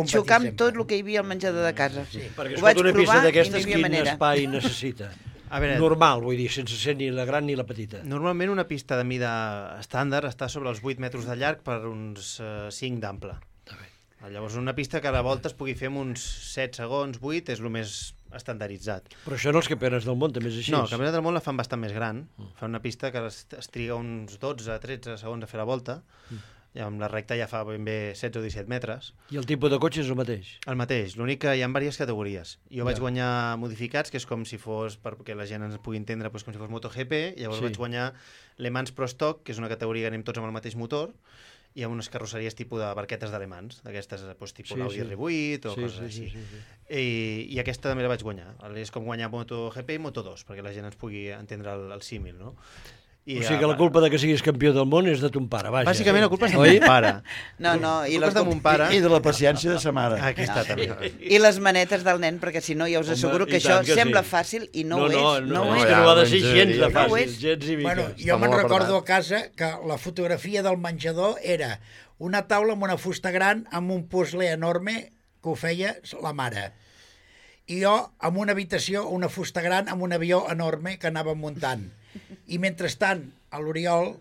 B: xocar amb tot el que hi havia al menjador de casa.
C: Sí. Perquè escolta, una pista d'aquestes, quin espai necessita?
H: A veure,
C: normal, vull dir, sense ser ni la gran ni la petita.
H: Normalment una pista de mida estàndard està sobre els 8 metres de llarg per uns 5 d'ample. Llavors una pista que a la volta es pugui fer en uns 7 segons, 8, és el més estandarditzat.
C: Però això en els campionats del món també és així?
H: No, el campionat del món la fan bastant més gran. Fan una pista que es triga uns 12-13 segons a fer la volta, i amb la recta ja fa ben bé 16 o 17 metres.
C: I el tipus de cotxe és el mateix?
H: El mateix, l'únic que hi ha diverses categories. Jo vaig guanyar modificats, que és com si fos, perquè la gent ens pugui entendre, com si fos MotoGP, llavors vaig guanyar Le Mans Pro Stock, que és una categoria que anem tots amb el mateix motor, i amb unes carrosseries tipus de barquetes d'Alemans, d'aquestes tipus l'Audi R8 o coses així. I aquesta també la vaig guanyar. És com guanyar MotoGP i Moto2, perquè la gent ens pugui entendre el símil, no?
C: O sigui que la culpa de que siguis campió del món és de ton pare, vaja.
H: Bàsicament la culpa és de mon pare.
B: No,
H: i la de mon pare...
E: I de la paciència de sa mare.
H: Aquesta també.
B: I les manetes del nen, perquè si no ja us asseguro que això sembla fàcil i no ho és.
C: No, és que no ha de ser gens de fàcil, gens i mica.
I: Bueno, jo me'n recordo a casa que la fotografia del menjador era una taula amb una fusta gran amb un puzzle enorme que ho feia la mare. I jo amb una habitació, una fusta gran amb un avió enorme que anava muntant. I mentrestant, a l'Oriol,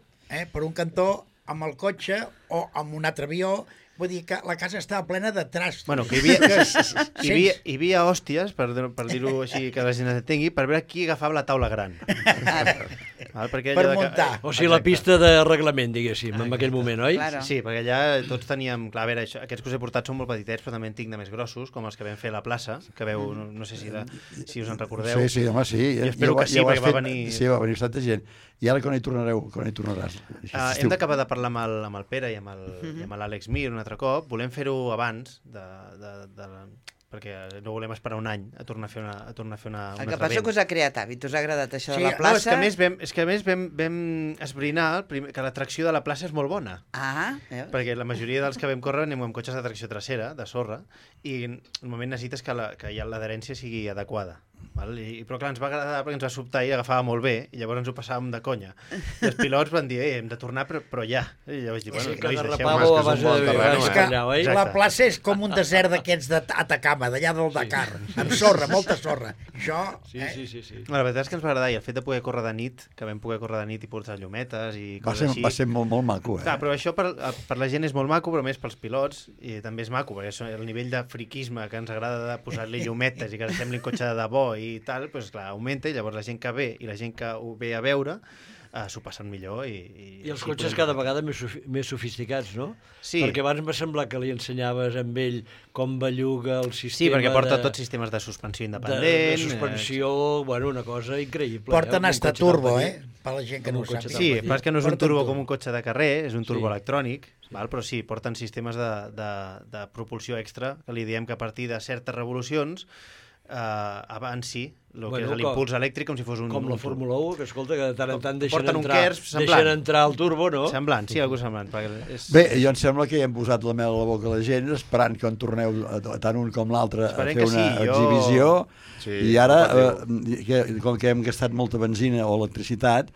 I: per un cantó, amb el cotxe o amb un altre avió, vull dir que la casa estava plena de trastos.
H: Bueno, que hi havia hòsties, per dir-ho així que la gent entengui, per veure qui agafava la taula gran.
I: Per muntar.
C: O sigui, la pista de reglament, diguéssim, en aquell moment, oi?
B: Claro.
H: Sí, perquè allà tots teníem... Clar, a veure, aquests que us he portat són molt petitets, però també en tinc de més grossos, com els que vam fer a la plaça, que veu, no sé si us en recordeu.
E: Sí, home, sí.
H: I espero que sí, perquè va venir...
E: Sí, va venir bastanta gent. I ara quan hi tornaràs?
H: Hem d'acabar de parlar amb el Pere i amb l'Àlex Mir un altre cop. Volem fer-ho abans, perquè no volem esperar un any a tornar a fer una
B: El que passa és que us ha creat hàbit, us ha agradat això de la
H: No,
B: plaça.
H: és que a més vam esbrinar que l'atracció de la plaça és molt bona. Perquè la majoria dels que vam córrer anem amb cotxes de tracció trasera, de sorra, i normalment necessites que l'adherència sigui adequada. Però clar, ens va agradar perquè ens va sobtar i agafava molt bé, i llavors ens ho passàvem de conya. I els pilots van dir, hem de tornar, però ja. I llavors vaig dir, bueno,
C: que
H: deixeu-me.
C: a base de
I: vegades. La plaça és com un desert d'aquests d'Atacama, d'allà del Dakar, amb sorra, molta sorra. Això...
C: Sí.
H: La veritat és que ens va agradar, i el fet de poder córrer de nit, que vam poder córrer de nit i portar llumetes i coses així...
E: Va ser molt maco,
H: Clar, però això per la gent és molt maco, però més pels pilots, i també és maco, perquè el nivell de friquisme que ens agrada de posar-li llumetes i que ens sembli un cotxe de debò i tal, doncs clar, augmenta, i llavors la gent que ve i la gent que ho ve a veure s'ho passen millor.
C: I els cotxes cada vegada més sofisticats, no?
H: Sí.
C: Perquè abans m'ha semblat que li ensenyaves amb ell com belluga el sistema...
H: Sí, perquè porta tots sistemes de suspensió independent.
C: De suspensió, bueno, una cosa increïble.
I: Porten hasta turbo, per la gent que no ho sap.
H: Sí, però és que no és un turbo com un cotxe de carrer, és un turbo electrònic, però sí, porten sistemes de propulsió extra, que li diem que a partir de certes revolucions abans sí, el que és l'impuls elèctric com si fos un...
C: Com la Fórmula 1, que escolta, que de tant en tant deixen
H: entrar
C: el turbo, no?
H: Semblant, sí, algú semblant.
E: Bé, jo em sembla que ja hem posat la mel a la boca a la gent, esperant que en torneu tant un com l'altre a fer una exhibició, i ara, com que hem gastat molta benzina o electricitat,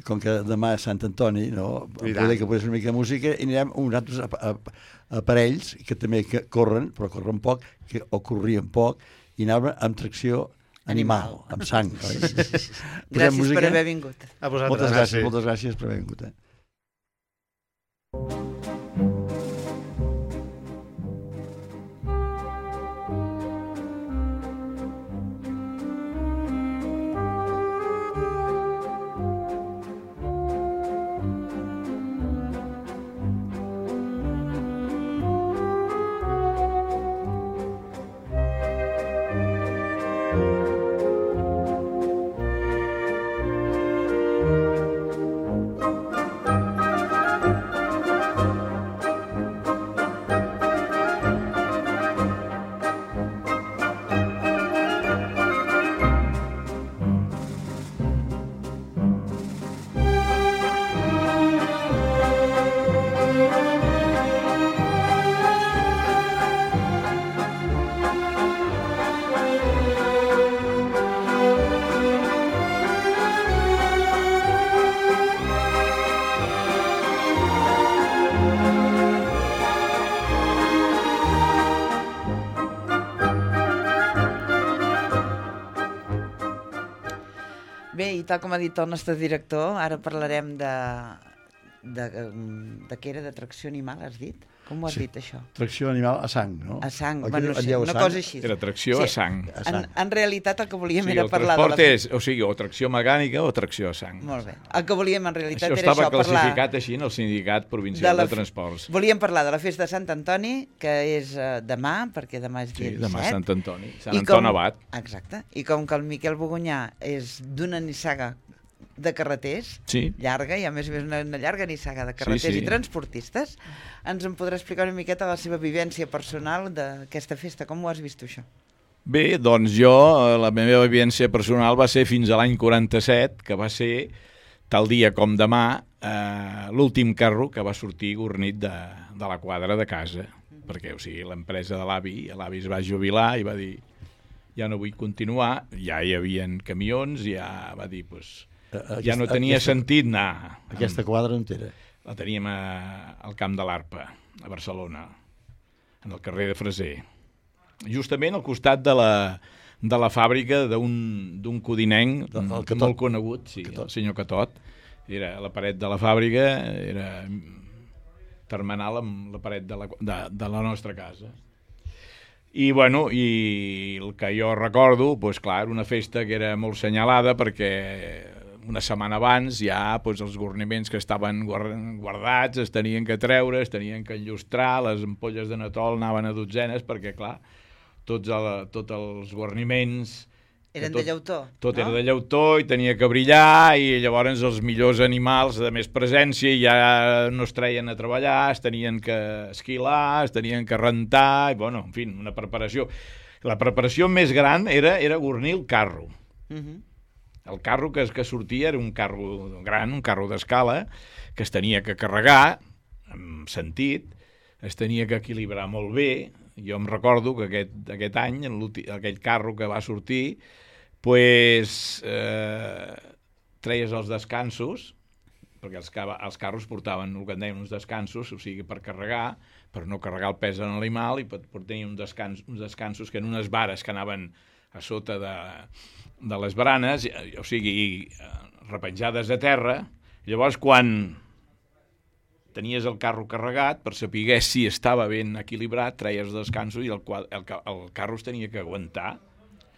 E: com que demà és Sant Antoni, no? Poder que posés una mica de música, i anirem uns altres aparells que també corren, però corren poc, o corrien poc, i anaven amb tracció animal, amb sang.
B: Gràcies per haver vingut.
E: Moltes gràcies per haver vingut.
B: Bé, i tal com ha dit el nostre director, ara parlarem de què era, de tracció animal, has dit? Com ho has dit, això?
E: Tracció animal a sang, no?
B: A sang, bueno, sí, una cosa així.
F: Era tracció a sang.
B: En realitat el que volíem era parlar de...
F: El transport és, o sigui, o tracció mecànica o tracció a sang.
B: Molt bé. El que volíem en realitat
F: era
B: això, parlar...
F: Això estava classificat així en el Sindicat Provincial de Transports.
B: Volíem parlar de la festa de Sant Antoni, que és demà, perquè demà és dia 17.
F: Sí, demà és Sant Antoni, Sant Anton Abat.
B: Exacte. I com que el Miquel Bogunyà és d'una nissaga de carreters, llarga, i a més una llarga nissaga de carreters i transportistes, ens en podrà explicar una miqueta la seva vivència personal d'aquesta festa. Com ho has vist, això?
F: Bé, doncs jo, la meva vivència personal va ser fins a l'any 47, que va ser, tal dia com demà, l'últim carro que va sortir gornit de la quadra de casa, perquè, o sigui, l'empresa de l'avi es va jubilar i va dir, ja no vull continuar, ja hi havia camions, ja va dir, doncs, ja no tenia sentit anar.
E: Aquesta quadra entera?
F: La teníem al Camp de l'Arpa, a Barcelona, en el carrer de Freser. Justament al costat de la fàbrica d'un codinenc molt conegut, el senyor Catot. Era la paret de la fàbrica, era termenal amb la paret de la nostra casa. I, bueno, i el que jo recordo, doncs clar, era una festa que era molt senyalada perquè una setmana abans ja els guarniments que estaven guardats es tenien que treure, es tenien que enllustrar, les ampolles de natol anaven a dotzenes perquè, clar, tots els guarniments...
B: Eren de llautó,
F: Tot era de llautó i tenia que brillar, i llavors els millors animals de més presència ja no es treien a treballar, es tenien que esquilar, es tenien que rentar, i, bueno, en fi, una preparació. La preparació més gran era guarnir el carro. El carro que sortia era un carro gran, un carro d'escala, que es tenia que carregar, amb sentit, es tenia que equilibrar molt bé. Jo em recordo que aquest any, aquell carro que va sortir, treies els descansos, perquè els carros portaven el que en deien uns descansos, o sigui, per carregar, per no carregar el pes en l'animal, i tenir uns descansos que en unes vares que anaven a sota de les baranes, o sigui, repenjades a terra. Llavors, quan tenies el carro carregat, per saber si estava ben equilibrat, treies els descansos i el carro es tenia que aguantar.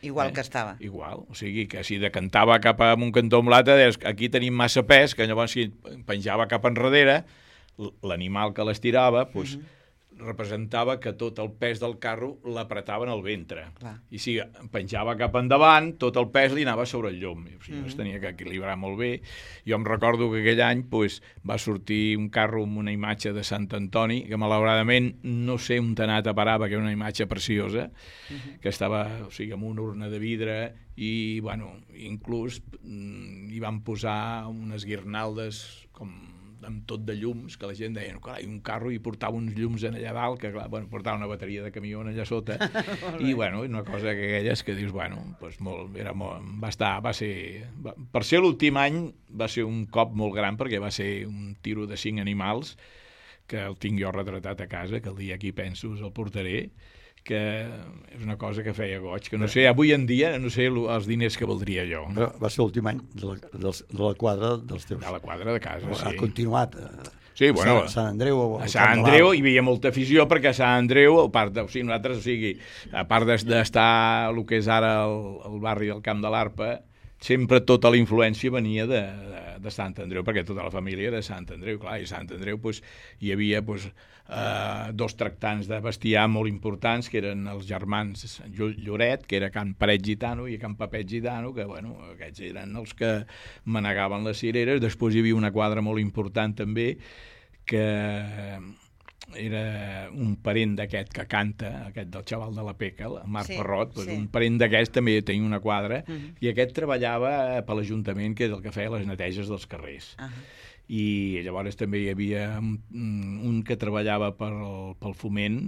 B: Igual que estava.
F: Igual, o sigui, que si decantava cap a un cantó o un l'altre, deies, aquí tenim massa pes, que llavors si penjava cap enrere, l'animal que l'estirava, representava que tot el pes del carro l'apretaven al ventre.
B: Clar.
F: I si penjava cap endavant, tot el pes li anava sobre el llom. O sigui, es tenia que equilibrar molt bé. Jo em recordo que aquell any va sortir un carro amb una imatge de Sant Antoni, que malauradament no sé on t'ha anat a parar, perquè era una imatge preciosa, que estava, o sigui, amb una urna de vidre i, bueno, inclús hi van posar unes guirnaldes com amb tot de llums, que la gent deia, clar, un carro i portava uns llums allà dalt, que clar, bueno, portava una bateria de camió allà sota, i bueno, una cosa que aquelles que dius, bueno, doncs per ser l'últim any va ser un cop molt gran, perquè va ser un tiro de 5 animals, que el tinc jo retratat a casa, que el dia que hi penso el portaré, que és una cosa que feia goig, que no sé, avui en dia no sé els diners que valdria jo.
E: Però va ser l'últim any de la quadra dels teus.
F: De la quadra de casa, sí.
E: Ha continuat
F: sí, bueno,
E: a Sant Andreu.
F: A Sant Andreu hi havia molta afició, perquè a Sant Andreu, a part d'estar el que és ara el barri del Camp de l'Arpa, sempre tota la influència venia de Sant Andreu, perquè tota la família era de Sant Andreu, clar, i a Sant Andreu hi havia 2 tractants de bestiar molt importants, que eren els germans Lloret, que era Can Paret Gitano, i Can Papet Gitano, que, bueno, aquests eren els que manegaven les cireres. Després hi havia una quadra molt important també, que era un parent d'aquest que canta, aquest del xaval de la Peca, el Marc Parrot, un parent d'aquest també tenia una quadra, i aquest treballava per l'Ajuntament, que és el que feia les neteges dels carrers. I llavors també hi havia un que treballava pel Foment,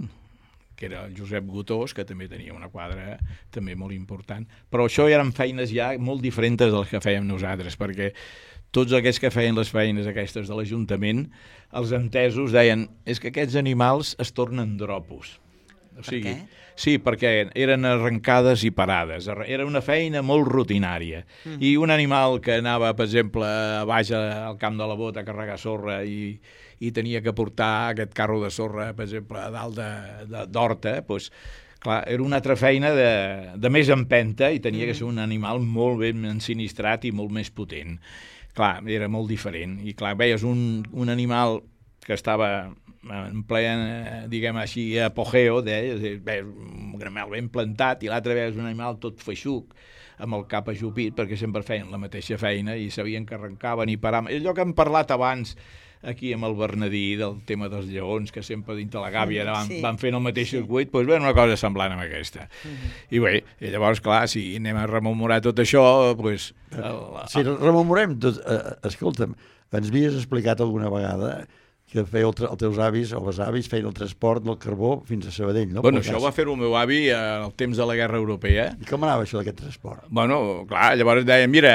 F: que era el Josep Gotós, que també tenia una quadra també molt important. Però això eren feines ja molt diferents de les que fèiem nosaltres, perquè tots aquests que feien les feines aquestes de l'Ajuntament, els entesos deien, és que aquests animals es tornen dropos. O sigui, per què? Sí, perquè eren arrencades i parades. Era una feina molt rutinària. I un animal que anava, per exemple, a baix al camp de la Bota a carregar sorra i tenia que portar aquest carro de sorra, per exemple, a dalt d'horta, doncs, clar, era una altra feina de més empenta i tenia que ser un animal molt ben ensinistrat i molt més potent. Clar, era molt diferent. I clar, veies un animal que estava en ple, diguem així, apogeo, un animal ben plantat, i l'altre vegada un animal tot feixuc, amb el cap ajupit, perquè sempre feien la mateixa feina i sabien que arrencaven i paraven. Allò que hem parlat abans aquí amb el Bernadí del tema dels lleons, que sempre dintre la gàbia van fent el mateix circuit, doncs bé, una cosa semblant amb aquesta. I bé, llavors, clar, si anem a rememorar tot això, doncs...
E: Si rememorem tot, escolta'm, ens havies explicat alguna vegada que feia els teus avis o les avis feien el transport del carbó fins a Sabadell, no?
F: Bueno, això ho va fer el meu avi al temps de la Guerra Europea.
E: I com anava això d'aquest transport?
F: Bueno, clar, llavors deien, mira,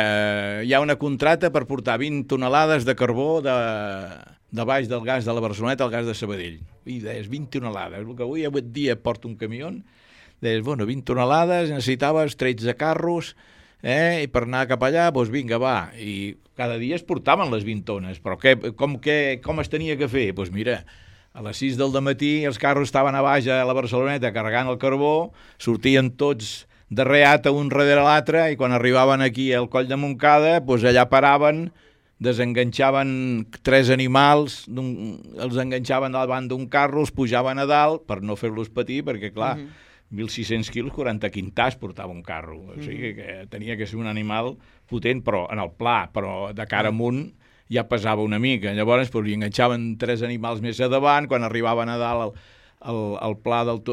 F: hi ha una contracta per portar 20 tonelades de carbó de baix del gas de la Barceloneta al gas de Sabadell. I deies, 20 tonelades, el que avui dia porta un camió, deies, bueno, 20 tonelades, necessitaves 13 carros, i per anar cap allà, doncs vinga, va. I cada dia es portaven les 20 tones, però com es tenia que fer? Doncs mira, a les 6 del dematí els carros estaven a baix a la Barceloneta carregant el carbó, sortien tots de reata un darrere l'altre, i quan arribaven aquí al Coll de Montcada, doncs allà paraven, desenganxaven 3 animals, els enganxaven davant d'un carro, els pujaven a dalt per no fer-los patir, perquè clar, 1.600 quilos, 40 quintars portava un carro. O sigui que tenia que ser un animal potent, però en el pla, però de cara amunt ja pesava una mica. Llavors hi enganxaven 3 animals més a davant, quan arribaven a dalt al pla del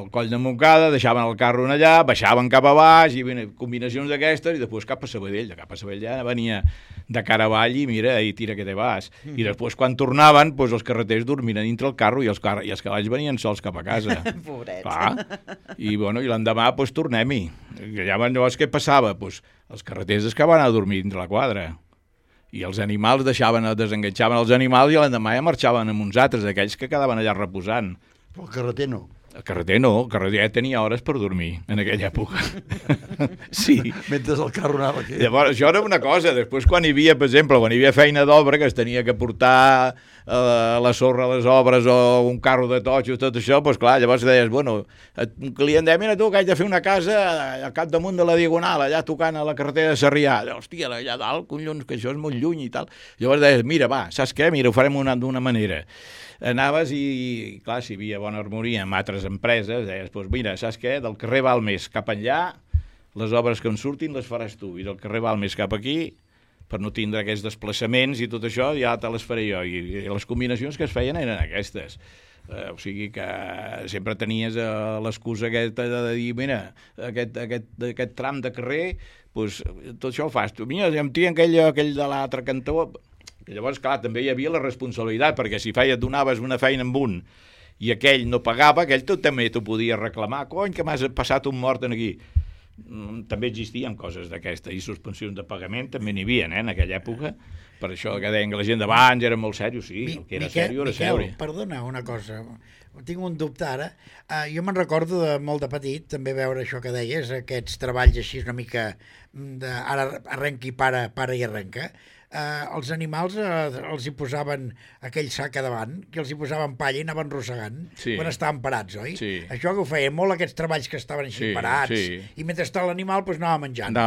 F: Coll de Montcada, deixaven el carro allà, baixaven cap a baix, i combinacions d'aquestes, i després cap a Sabadell. De cap a Sabadell ja venia de cara avall i mira, i tira que te vas. I després quan tornaven, doncs els carreters dormien dintre el carro i els cavalls venien sols cap a casa.
B: Pobrets.
F: Clar. I l'endemà doncs tornem-hi. Llavors què passava? Doncs els carreters es acabaven a dormir dintre la quadra. I els animals desenganxaven els animals i l'endemà ja marxaven amb uns altres, aquells que quedaven allà reposant.
E: Però el carreter no.
F: El carreter no, el carreter ja tenia hores per dormir en aquella època. Sí.
E: Mentre el carro anava aquí.
F: Llavors, això era una cosa. Després, quan hi havia, per exemple, quan hi havia feina d'obra, que es tenia que portar la sorra a les obres o un carro de totxos, tot això, doncs clar, llavors deies, bueno, un client deia, mira tu, que haig de fer una casa al capdamunt de la Diagonal, allà tocant a la carretera de Sarrià. Hòstia, allà dalt, collons, que això és molt lluny i tal. Llavors deies, mira, va, saps què? Mira, ho farem d'una manera. Anaves i, clar, si hi havia bona harmonia amb altres empreses, deies, doncs mira, saps què? Del carrer Balmes cap enllà, les obres que en surtin les faràs tu, i del carrer Balmes cap aquí, per no tindre aquests desplaçaments i tot això, ja te les faré jo, i les combinacions que es feien eren aquestes. O sigui que sempre tenies l'excusa aquesta de dir, mira, aquest tram de carrer, doncs tot això ho fas tu. Mira, em tien aquell de l'altre cantó. Llavors, clar, també hi havia la responsabilitat, perquè si donaves una feina amb un i aquell no pagava, aquell també t'ho podia reclamar. Cony, que m'has passat un mort aquí. També existien coses d'aquesta, i suspensions de pagament també n'hi havia, en aquella època. Per això que deien que la gent d'abans era molt sèrio, sí, el que era sèrio era sèrio.
I: Perdona una cosa, tinc un dubte ara. Jo me'n recordo de molt de petit, també veure això que deies, aquests treballs així una mica ara arrenca i para i arrenca. Els animals els hi posaven aquell sac a davant, que els hi posaven palla i anaven rossegant quan estaven parats, oi? Sí. Això que ho feien molt, aquests treballs que estaven així parats, i mentre estava l'animal anava menjant.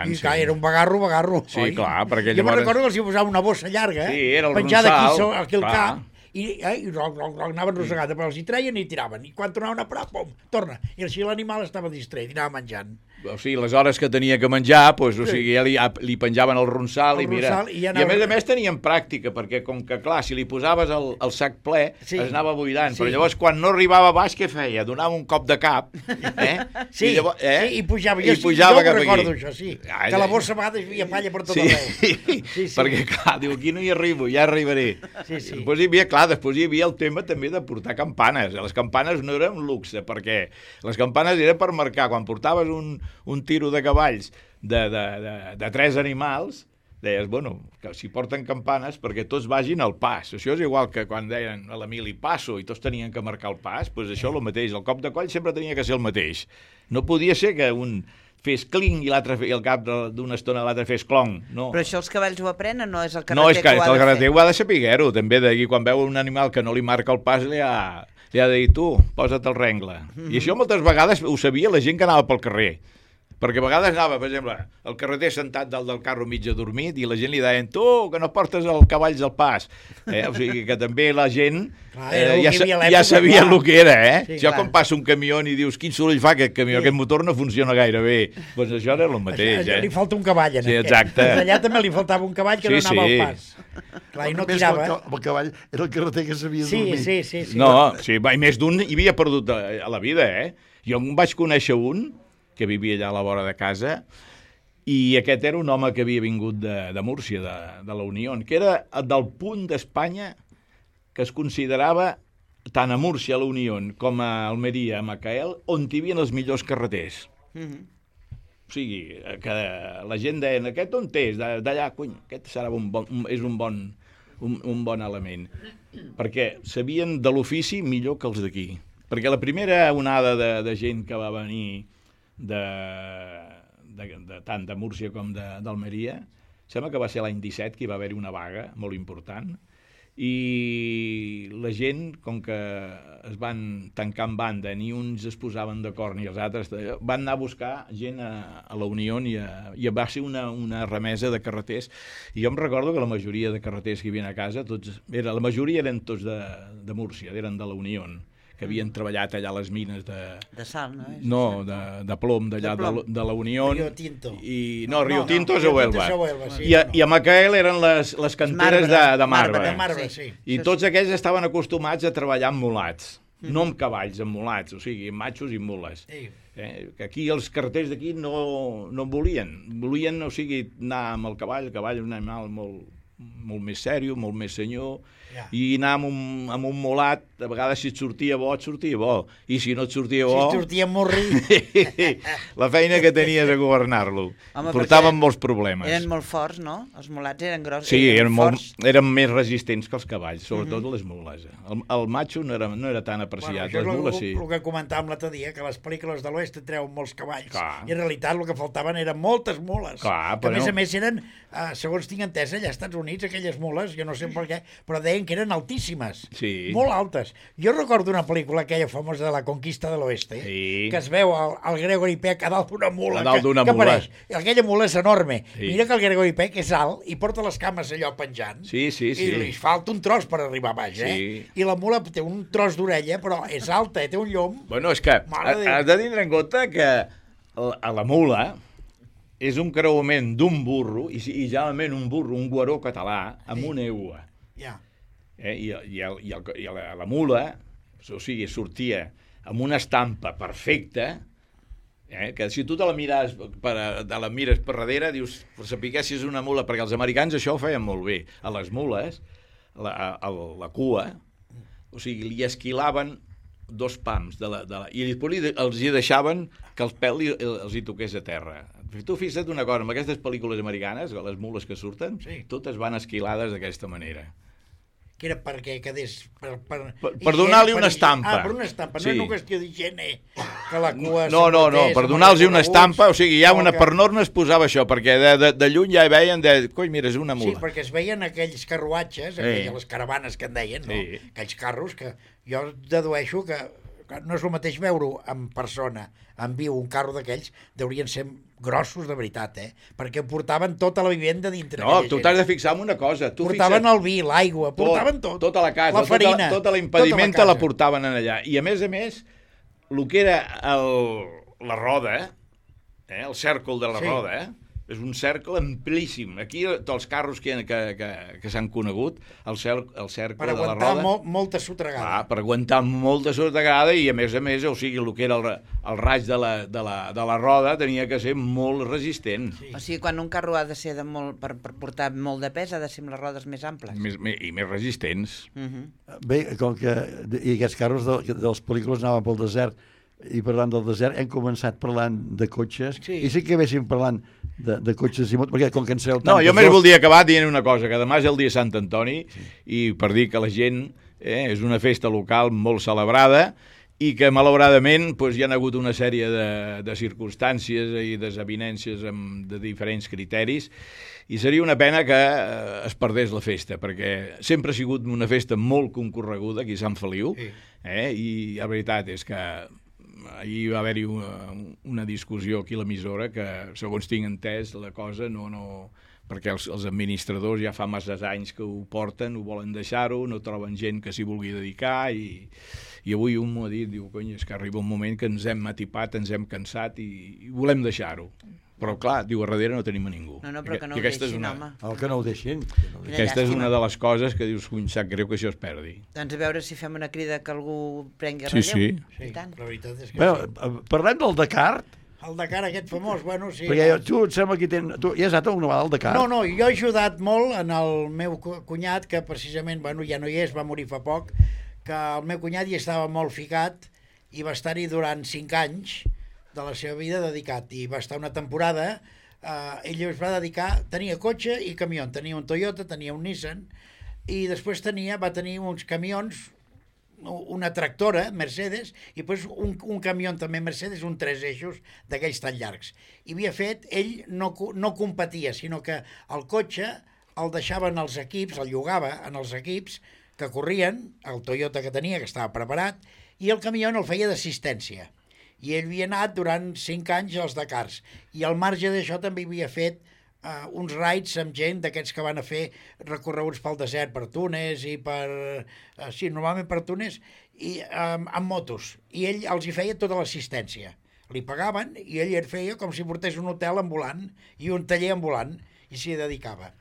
I: I clar, era un bagarro,
F: sí,
I: oi?
F: Clar, perquè
I: jo me'n recordo que els hi posava una bossa llarga, penjada aquí al cap, i anaven rossegant, però els hi treien i tiraven, i quan tornaven a parar, pum, torna, i així l'animal estava distret i anava menjant.
F: O sigui, les hores que tenia que menjar, doncs, o sigui, li penjaven el ronsal i mira. I a més tenien pràctica, perquè com que, clar, si li posaves el sac ple, es anava buidant, però llavors quan no arribava baix, què feia? Donava un cop de cap,
I: i pujava. Jo ho recordo, això, sí. Que la bossa a vegades hi havia palla per tot arreu.
F: Perquè, clar, diu, aquí no hi arribo, ja arribaré. Després hi havia el tema també de portar campanes. Les campanes no eren un luxe, perquè les campanes eren per marcar. Quan portaves un tiro de cavalls de 3 animals, deies, bueno, que si porten campanes perquè tots vagin al pas. Això és igual que quan deien a l'Emili passo i tots tenien que marcar el pas, doncs això és el mateix. El cop de coll sempre tenia que ser el mateix. No podia ser que un fes clinc i l'altre i al cap d'una estona l'altre fes clonc. No.
B: Però això els cavalls ho aprenen, no és el carreter
F: que ho ha de fer? No, és que el carreter ho ha de saber-ho, també, i quan veu un animal que no li marca el pas li ha de dir, tu, posa't el rengle. I això moltes vegades ho sabia la gent que anava pel carrer. Perquè a vegades anava, per exemple, el carreter sentat dalt del carro mig adormit i la gent li deien, tu, que no portes els cavalls al pas. O sigui que també la gent ja sabia el que era, Sí, això quan passa un camió i dius, quin soroll fa aquest camió, aquest motor no funciona gaire bé. Doncs això era el mateix,
I: Li falta un cavall, en aquest.
F: Exacte.
I: Allà també li faltava un cavall que no anava al pas. Clar, i no tirava.
E: El cavall era el carreter que sabia dormir.
I: Sí.
F: No, i més d'un hi havia perdut a la vida, Jo em vaig conèixer un que vivia allà a la vora de casa, i aquest era un home que havia vingut de Múrcia, de la Unió, que era del punt d'Espanya que es considerava tant a Múrcia, a la Unió, com a Almeria, a Macael, on hi havia els millors carreters. O sigui, que la gent deia, aquest on és? D'allà, cony, aquest serà és un bon element. Perquè sabien de l'ofici millor que els d'aquí. Perquè la primera onada de gent que va venir tant de Múrcia com d'Almeria, sembla que va ser l'any 17 que hi va haver-hi una vaga molt important, i la gent, com que es van tancar en banda, ni uns es posaven d'acord ni els altres, van anar a buscar gent a la Unió i va ser una remesa de carreters. I jo em recordo que la majoria de carreters que hi havia a casa, la majoria eren tots de Múrcia, eren de la Unió, que havien treballat allà a les mines
B: de sal, no?
F: No, de plom, d'allà de la Unió.
I: Rio Tinto.
F: No, Rio Tinto és a Huelva. I a Macael eren les canteres de marbre.
I: Sí.
F: I tots aquells estaven acostumats a treballar amb mulats, no amb cavalls, amb mulats, o sigui, matxos i mules. Que aquí els carreters d'aquí no volien, o sigui, anar amb el cavall és un animal molt més sèrio, molt més senyor, i anar amb un molat, a vegades si et sortia bo, i si no et sortia bo...
I: Si et sortia morri...
F: la feina que tenies a governar-lo. Portaven molts problemes.
B: Eren molt forts, no? Els mulats eren grossos.
F: Sí, eren més resistents que els cavalls, sobretot les mules. El matxo no era tan apreciat, les mules sí.
I: El que comentàvem l'altre dia, que les pel·lícules de l'oest treuen molts cavalls, i en realitat el que faltaven eren moltes mules.
F: Clar,
I: que a més eren, segons tinc entès, allà als Estats Units, aquelles mules, jo no sé per què, però deien que eren altíssimes, molt altes. Jo recordo una pel·lícula aquella famosa de la Conquista de l'Oeste, que es veu el Gregory Peck a dalt d'una mula, que apareix. Aquella mula és enorme. Mira que el Gregory Peck és alt i porta les cames allò penjant, i li falta un tros per arribar a baix, i la mula té un tros d'orella, però és alta, té un llom.
F: Bueno, és que has de tindre en compte que a la mula és un creuament d'un burro, i generalment un burro, un guaró català, amb una egua. I la mula, o sigui, sortia amb una estampa perfecta, que si tu te la mires per darrere, dius, per saber si és una mula, perquè els americans això ho feien molt bé. A les mules, la cua, o sigui, li esquilaven 2 pams i després els hi deixaven que el pèl els hi toqués a terra. Tu fixa't una cosa, amb aquestes pel·lícules americanes, les mules que surten, totes van esquilades d'aquesta manera.
I: Que era perquè quedés...
F: Per donar-li una estampa.
I: Per una estampa, no és una qüestió d'higiene, que la cua...
F: No, per donar-los una estampa, o sigui, per norma es posava això, perquè de lluny ja veien, coi, mira, és una mula.
I: Sí, perquè es veien aquells carruatges, les caravanes que en deien, no? Aquells carros que jo dedueixo que no és el mateix veure-ho en persona, en viu, un carro d'aquells, deurien ser grossos de veritat, perquè portaven tota la vivenda dintre.
F: No, tu t'has de fixar en una cosa.
I: Portaven el vi, l'aigua, portaven tot.
F: Tota la casa,
I: la farina,
F: tota la impedimenta la portaven allà. I a més, el que era la roda, el cèrcol de la roda, és un cercle amplíssim. Aquí, tots els carros que s'han conegut, el cercle de la roda...
I: Per aguantar molta sotragada.
F: Per aguantar molta sotragada i, a més, o sigui, el que era el raig de la roda tenia que ser molt resistent.
B: O sigui, quan un carro ha de ser per portar molt de pes, ha de ser amb les rodes més amples.
F: I més resistents.
E: Bé, com que aquests carros de les pel·lícules anaven pel desert, i parlant del desert, hem començat parlant de cotxes, i sí que véssim parlant de cotxes i motos, perquè com que en sabeu
F: tant... No, jo més voldria acabar dient una cosa, que demà és el dia Sant Antoni, i per dir que la gent és una festa local molt celebrada, i que malauradament hi ha hagut una sèrie de circumstàncies i desavinències de diferents criteris, i seria una pena que es perdés la festa, perquè sempre ha sigut una festa molt concorreguda aquí a Sant Feliu, i la veritat és que ahir va haver-hi una discussió aquí a l'emissora que, segons tinc entès, la cosa no... perquè els administradors ja fa masses anys que ho porten, ho volen deixar-ho, no troben gent que s'hi vulgui dedicar, i avui un m'ho ha dit, diu, cony, és que arriba un moment que ens hem atipat, ens hem cansat i volem deixar-ho. Però, clar, diu, a darrere no tenim a ningú.
B: No, però que no ho deixin, home.
E: Que no ho deixin.
F: Aquesta és una de les coses que dius, em sap greu que això es perdi.
B: Doncs a veure si fem una crida que algú prengui relleu.
F: Sí.
I: La veritat és que
E: bueno, parlem del Dakar.
I: El Dakar aquest famós, bueno, sí.
E: Perquè tu et sembla que tu ja has anat una vegada al Dakar.
I: No, jo he ajudat molt en el meu cunyat, que precisament, bueno, ja no hi és, va morir fa poc, que el meu cunyat hi estava molt ficat i va estar-hi durant 5 anys de la seva vida dedicat, i va estar una temporada, ell es va dedicar, tenia cotxe i camió, tenia un Toyota, tenia un Nissan, i després va tenir uns camions, una tractora, Mercedes, i després un camió també Mercedes, un 3 eixos d'aquells tan llargs. I havia fet, ell no competia, sinó que el cotxe el deixaven els equips, el llogava en els equips que corrien, el Toyota que tenia, que estava preparat, i el camió el feia d'assistència. I ell havia anat durant 5 anys als Dakars, i al marge d'això també havia fet uns rides amb gent d'aquests que van a fer recorreguts pel desert, per Tunes i per... sí, normalment per Tunes, i amb motos. I ell els hi feia tota l'assistència. Li pagaven i ell feia com si portés un hotel ambulant i un taller ambulant, i s'hi dedicava.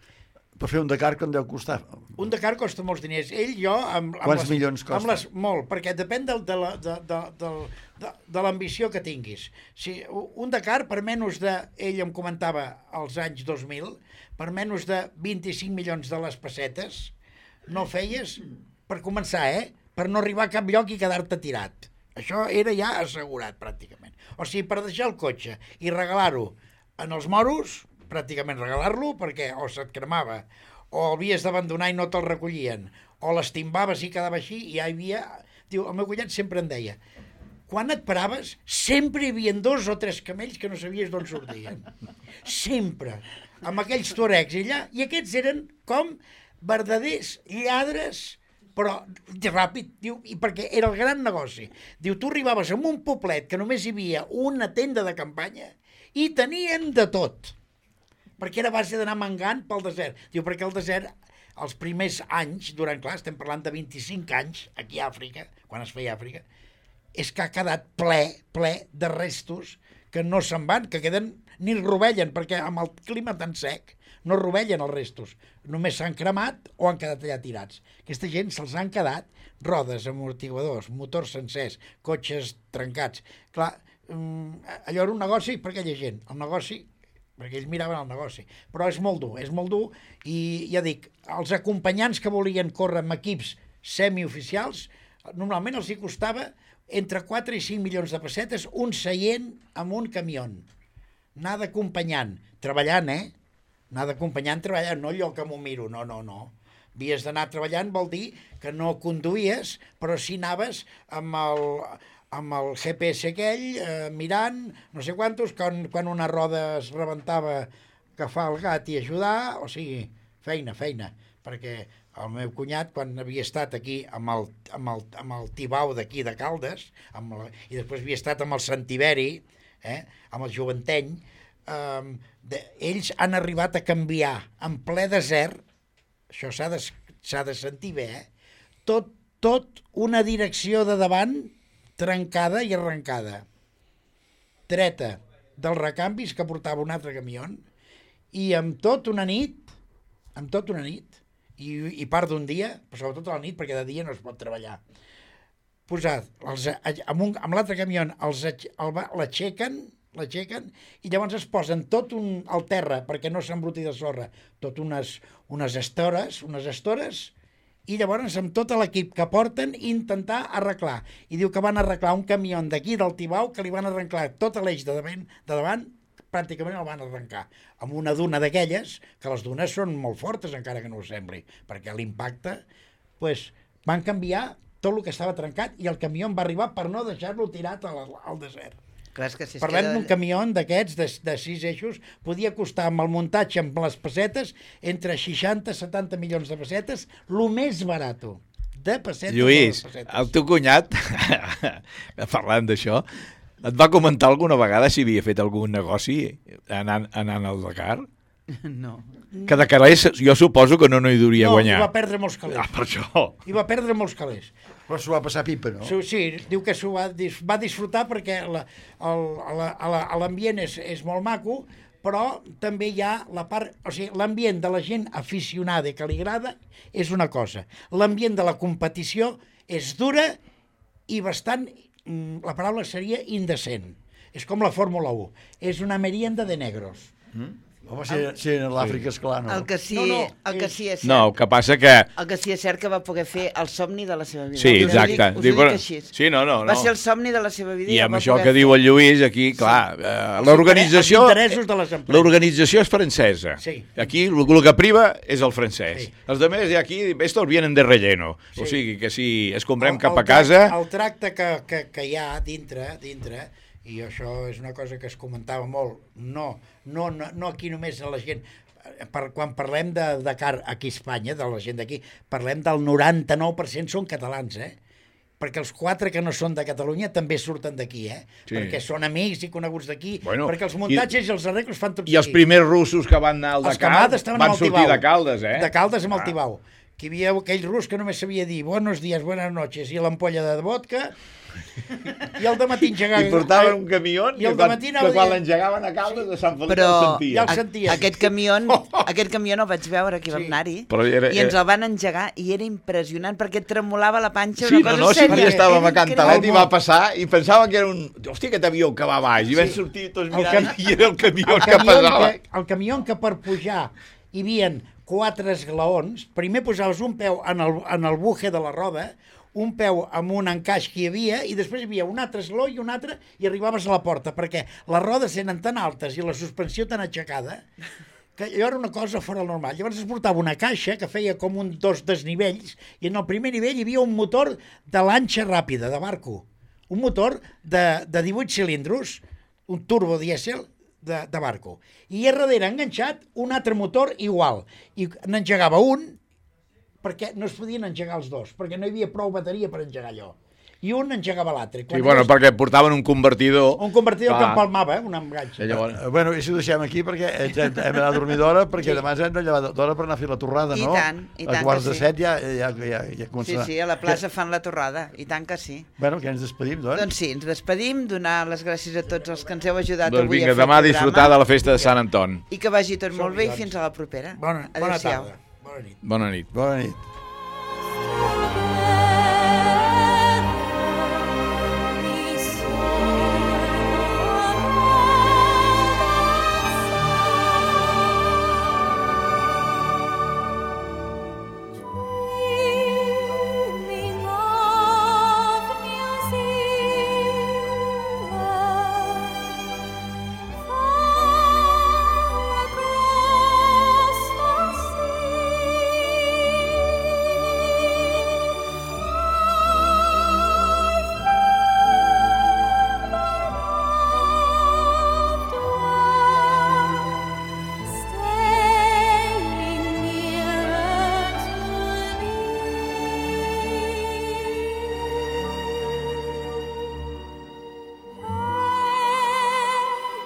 E: Per fer un Dakar, com deu costar?
I: Un Dakar costa molts diners.
E: Quants milions costa?
I: Molt, perquè depèn de l'ambició que tinguis. Si un Dakar, per menys de... Ell em comentava als anys 2000, per menys de 25 milions de les pessetes, no feies, per començar, per no arribar a cap lloc i quedar-te tirat. Això era ja assegurat, pràcticament. O sigui, per deixar el cotxe i regalar-ho en els moros, pràcticament regalar-lo, perquè o se't cremava, o havies d'abandonar i no te'l recollien, o l'estimbaves i quedava així, i ja hi havia... Diu, el meu cunyat sempre em deia, quan et paraves, sempre hi havia 2 o 3 camells que no sabies d'on sortien. Sempre. Amb aquells tuaregs allà, i aquests eren com verdaders lladres, però ràpid, diu, i perquè era el gran negoci. Diu, tu arribaves a un poblet que només hi havia una tenda de campanya i tenien de tot, perquè era a base d'anar mangant pel desert. Diu, perquè el desert, els primers anys, durant, clar, estem parlant de 25 anys, aquí a Àfrica, quan es feia Àfrica, és que ha quedat ple de restos que no se'n van, que queden, ni rovellen, perquè amb el clima tan sec no rovellen els restos, només s'han cremat o han quedat allà tirats. Aquesta gent se'ls han quedat rodes, amortiguadors, motors sencers, cotxes trencats. Clar, allò era un negoci per aquella gent, el negoci, perquè ells miraven el negoci, però és molt dur, i ja dic, els acompanyants que volien córrer amb equips semioficials, normalment els hi costava entre 4 i 5 milions de pessetes un seient amb un camió. Anar d'acompanyant, treballant, anar d'acompanyant treballant, no allò que m'ho miro, no. Havies d'anar treballant vol dir que no conduïes, però si anaves amb el GPS aquell, mirant, no sé quantos, quan una roda es rebentava, agafar el gat i ajudar, o sigui, feina, perquè el meu cunyat, quan havia estat aquí amb el Tibau d'aquí de Caldes, i després havia estat amb el Sant Tiberi, amb el Joventeny, ells han arribat a canviar en ple desert, això s'ha de sentir bé, tot una direcció de davant trencada i arrencada, treta dels recanvis que portava un altre camió, i amb tot una nit, i part d'un dia, però sobretot a la nit, perquè de dia no es pot treballar, posat amb l'altre camió, l'aixequen, i llavors es posen tot al terra, perquè no s'embruti de sorra, tot unes estores, i llavors amb tot l'equip que porten intentar arreglar. I diu que van arreglar un camió d'aquí del Tibau que li van arreglar tot l'eix de davant, pràcticament el van arrencar, amb una duna d'aquelles, que les dunes són molt fortes, encara que no ho sembli, perquè l'impacte, van canviar tot el que estava trencat i el camió va arribar per no deixar-lo tirat al desert.
B: Clar, és que si
I: Parlem d'un camió d'aquests, de 6 eixos, podia costar amb el muntatge, amb les pessetes, entre 60 i 70 milions de pessetes, el més barat de pessetes.
F: Lluís, el teu cunyat, parlant d'això, et va comentar alguna vegada si havia fet algun negoci anant al Dakar?
B: No.
F: Que de calés jo suposo que no hi duria guanyar.
I: No, i va perdre molts calés.
F: Per això.
I: I va perdre molts calés.
E: Però s'ho va passar pipa, no?
I: Sí, diu que s'ho va disfrutar perquè l'ambient és molt maco, però també hi ha la part... O sigui, l'ambient de la gent aficionada que li agrada és una cosa. L'ambient de la competició és dura i bastant... La paraula seria indecent. És com la Fórmula 1. És una merienda de negros.
E: Home, si en l'Àfrica, esclar, no.
B: El que sí és cert.
F: No, el que passa que...
B: El que sí és cert que va poder fer el somni de la seva vida.
F: Sí, exacte.
B: Us ho dic així.
F: Sí, no.
B: Va ser el somni de la seva vida.
F: I amb això que diu el Lluís, aquí, clar, l'organització...
I: Els interessos de les empreses.
F: L'organització és francesa.
I: Sí.
F: Aquí el que priva és el francès. Sí. Els altres aquí, estos vienen de relleno. Sí. O sigui, que si es comprem cap a casa...
I: El tracte que hi ha dintre, i això és una cosa que es comentava molt, no aquí només a la gent, quan parlem de Dakar aquí a Espanya, de la gent d'aquí, parlem del 99% són catalans, perquè els 4 que no són de Catalunya també surten d'aquí, sí. Perquè són amics i coneguts d'aquí, perquè els muntatges i els arreglos fan tots
F: aquí. I els primers russos que van anar al Dakar van sortir de Caldes,
I: De Caldes amb el Tibau. Que hi havia aquell rus que només sabia dir buenos días, buenas noches, i l'ampolla de vodka, i al dematí engegava...
F: I portaven un camió que quan l'engegaven a Caldes de Sant Feliu el sentia.
B: Ja el sentia. Aquest camió el vaig veure aquí a Bernari, i ens el van engegar i era impressionant perquè et tremolava la panxa, una cosa sèria.
F: Sí, estàvem a Cantalet i va passar i pensava que era un... Hòstia, aquest avió que va baix, i vam sortir tots mirant i era el camió que pesava.
I: El camió que per pujar hi havia 4 esglaons. Primer posaves un peu en el buje de la roda, un peu amb un encaix que hi havia, i després hi havia un altre esglaó i un altre, i arribaves a la porta, perquè les rodes eren tan altes i la suspensió tan aixecada que allò era una cosa fora del normal. Llavors es portava una caixa que feia com dos desnivells, i en el primer nivell hi havia un motor de lanxa ràpida, de barco. Un motor de 18 cilindros, un turbo dièsel de barco. I a darrere enganxat un altre motor igual. I n'engegava un, perquè no es podien engegar els dos, perquè no hi havia prou bateria per engegar allò. I un engegava l'altre.
F: Sí, bueno, perquè portaven un convertidor.
I: Un convertidor que empalmava, un enganx.
E: Bueno, i si ho deixem aquí, perquè hem d'anar a dormir d'hora, perquè demà ens hem de llevar d'hora per anar a fer la torrada, no?
B: I tant,
E: a quarts de 7 ja comença.
B: Sí, a la plaça fan la torrada, i tant que sí.
E: Bueno, que ens despedim, doncs?
B: Doncs sí, ens despedim, donar les gràcies a tots els que ens heu ajudat
F: avui
B: a fer el programa.
F: Doncs vinga, demà a disfrutar de la festa de Sant Anton.
B: I que vagi tot molt bé i fins a la propera.
I: Bona tarda. Bona nit.
F: Bona nit.
E: Bona nit.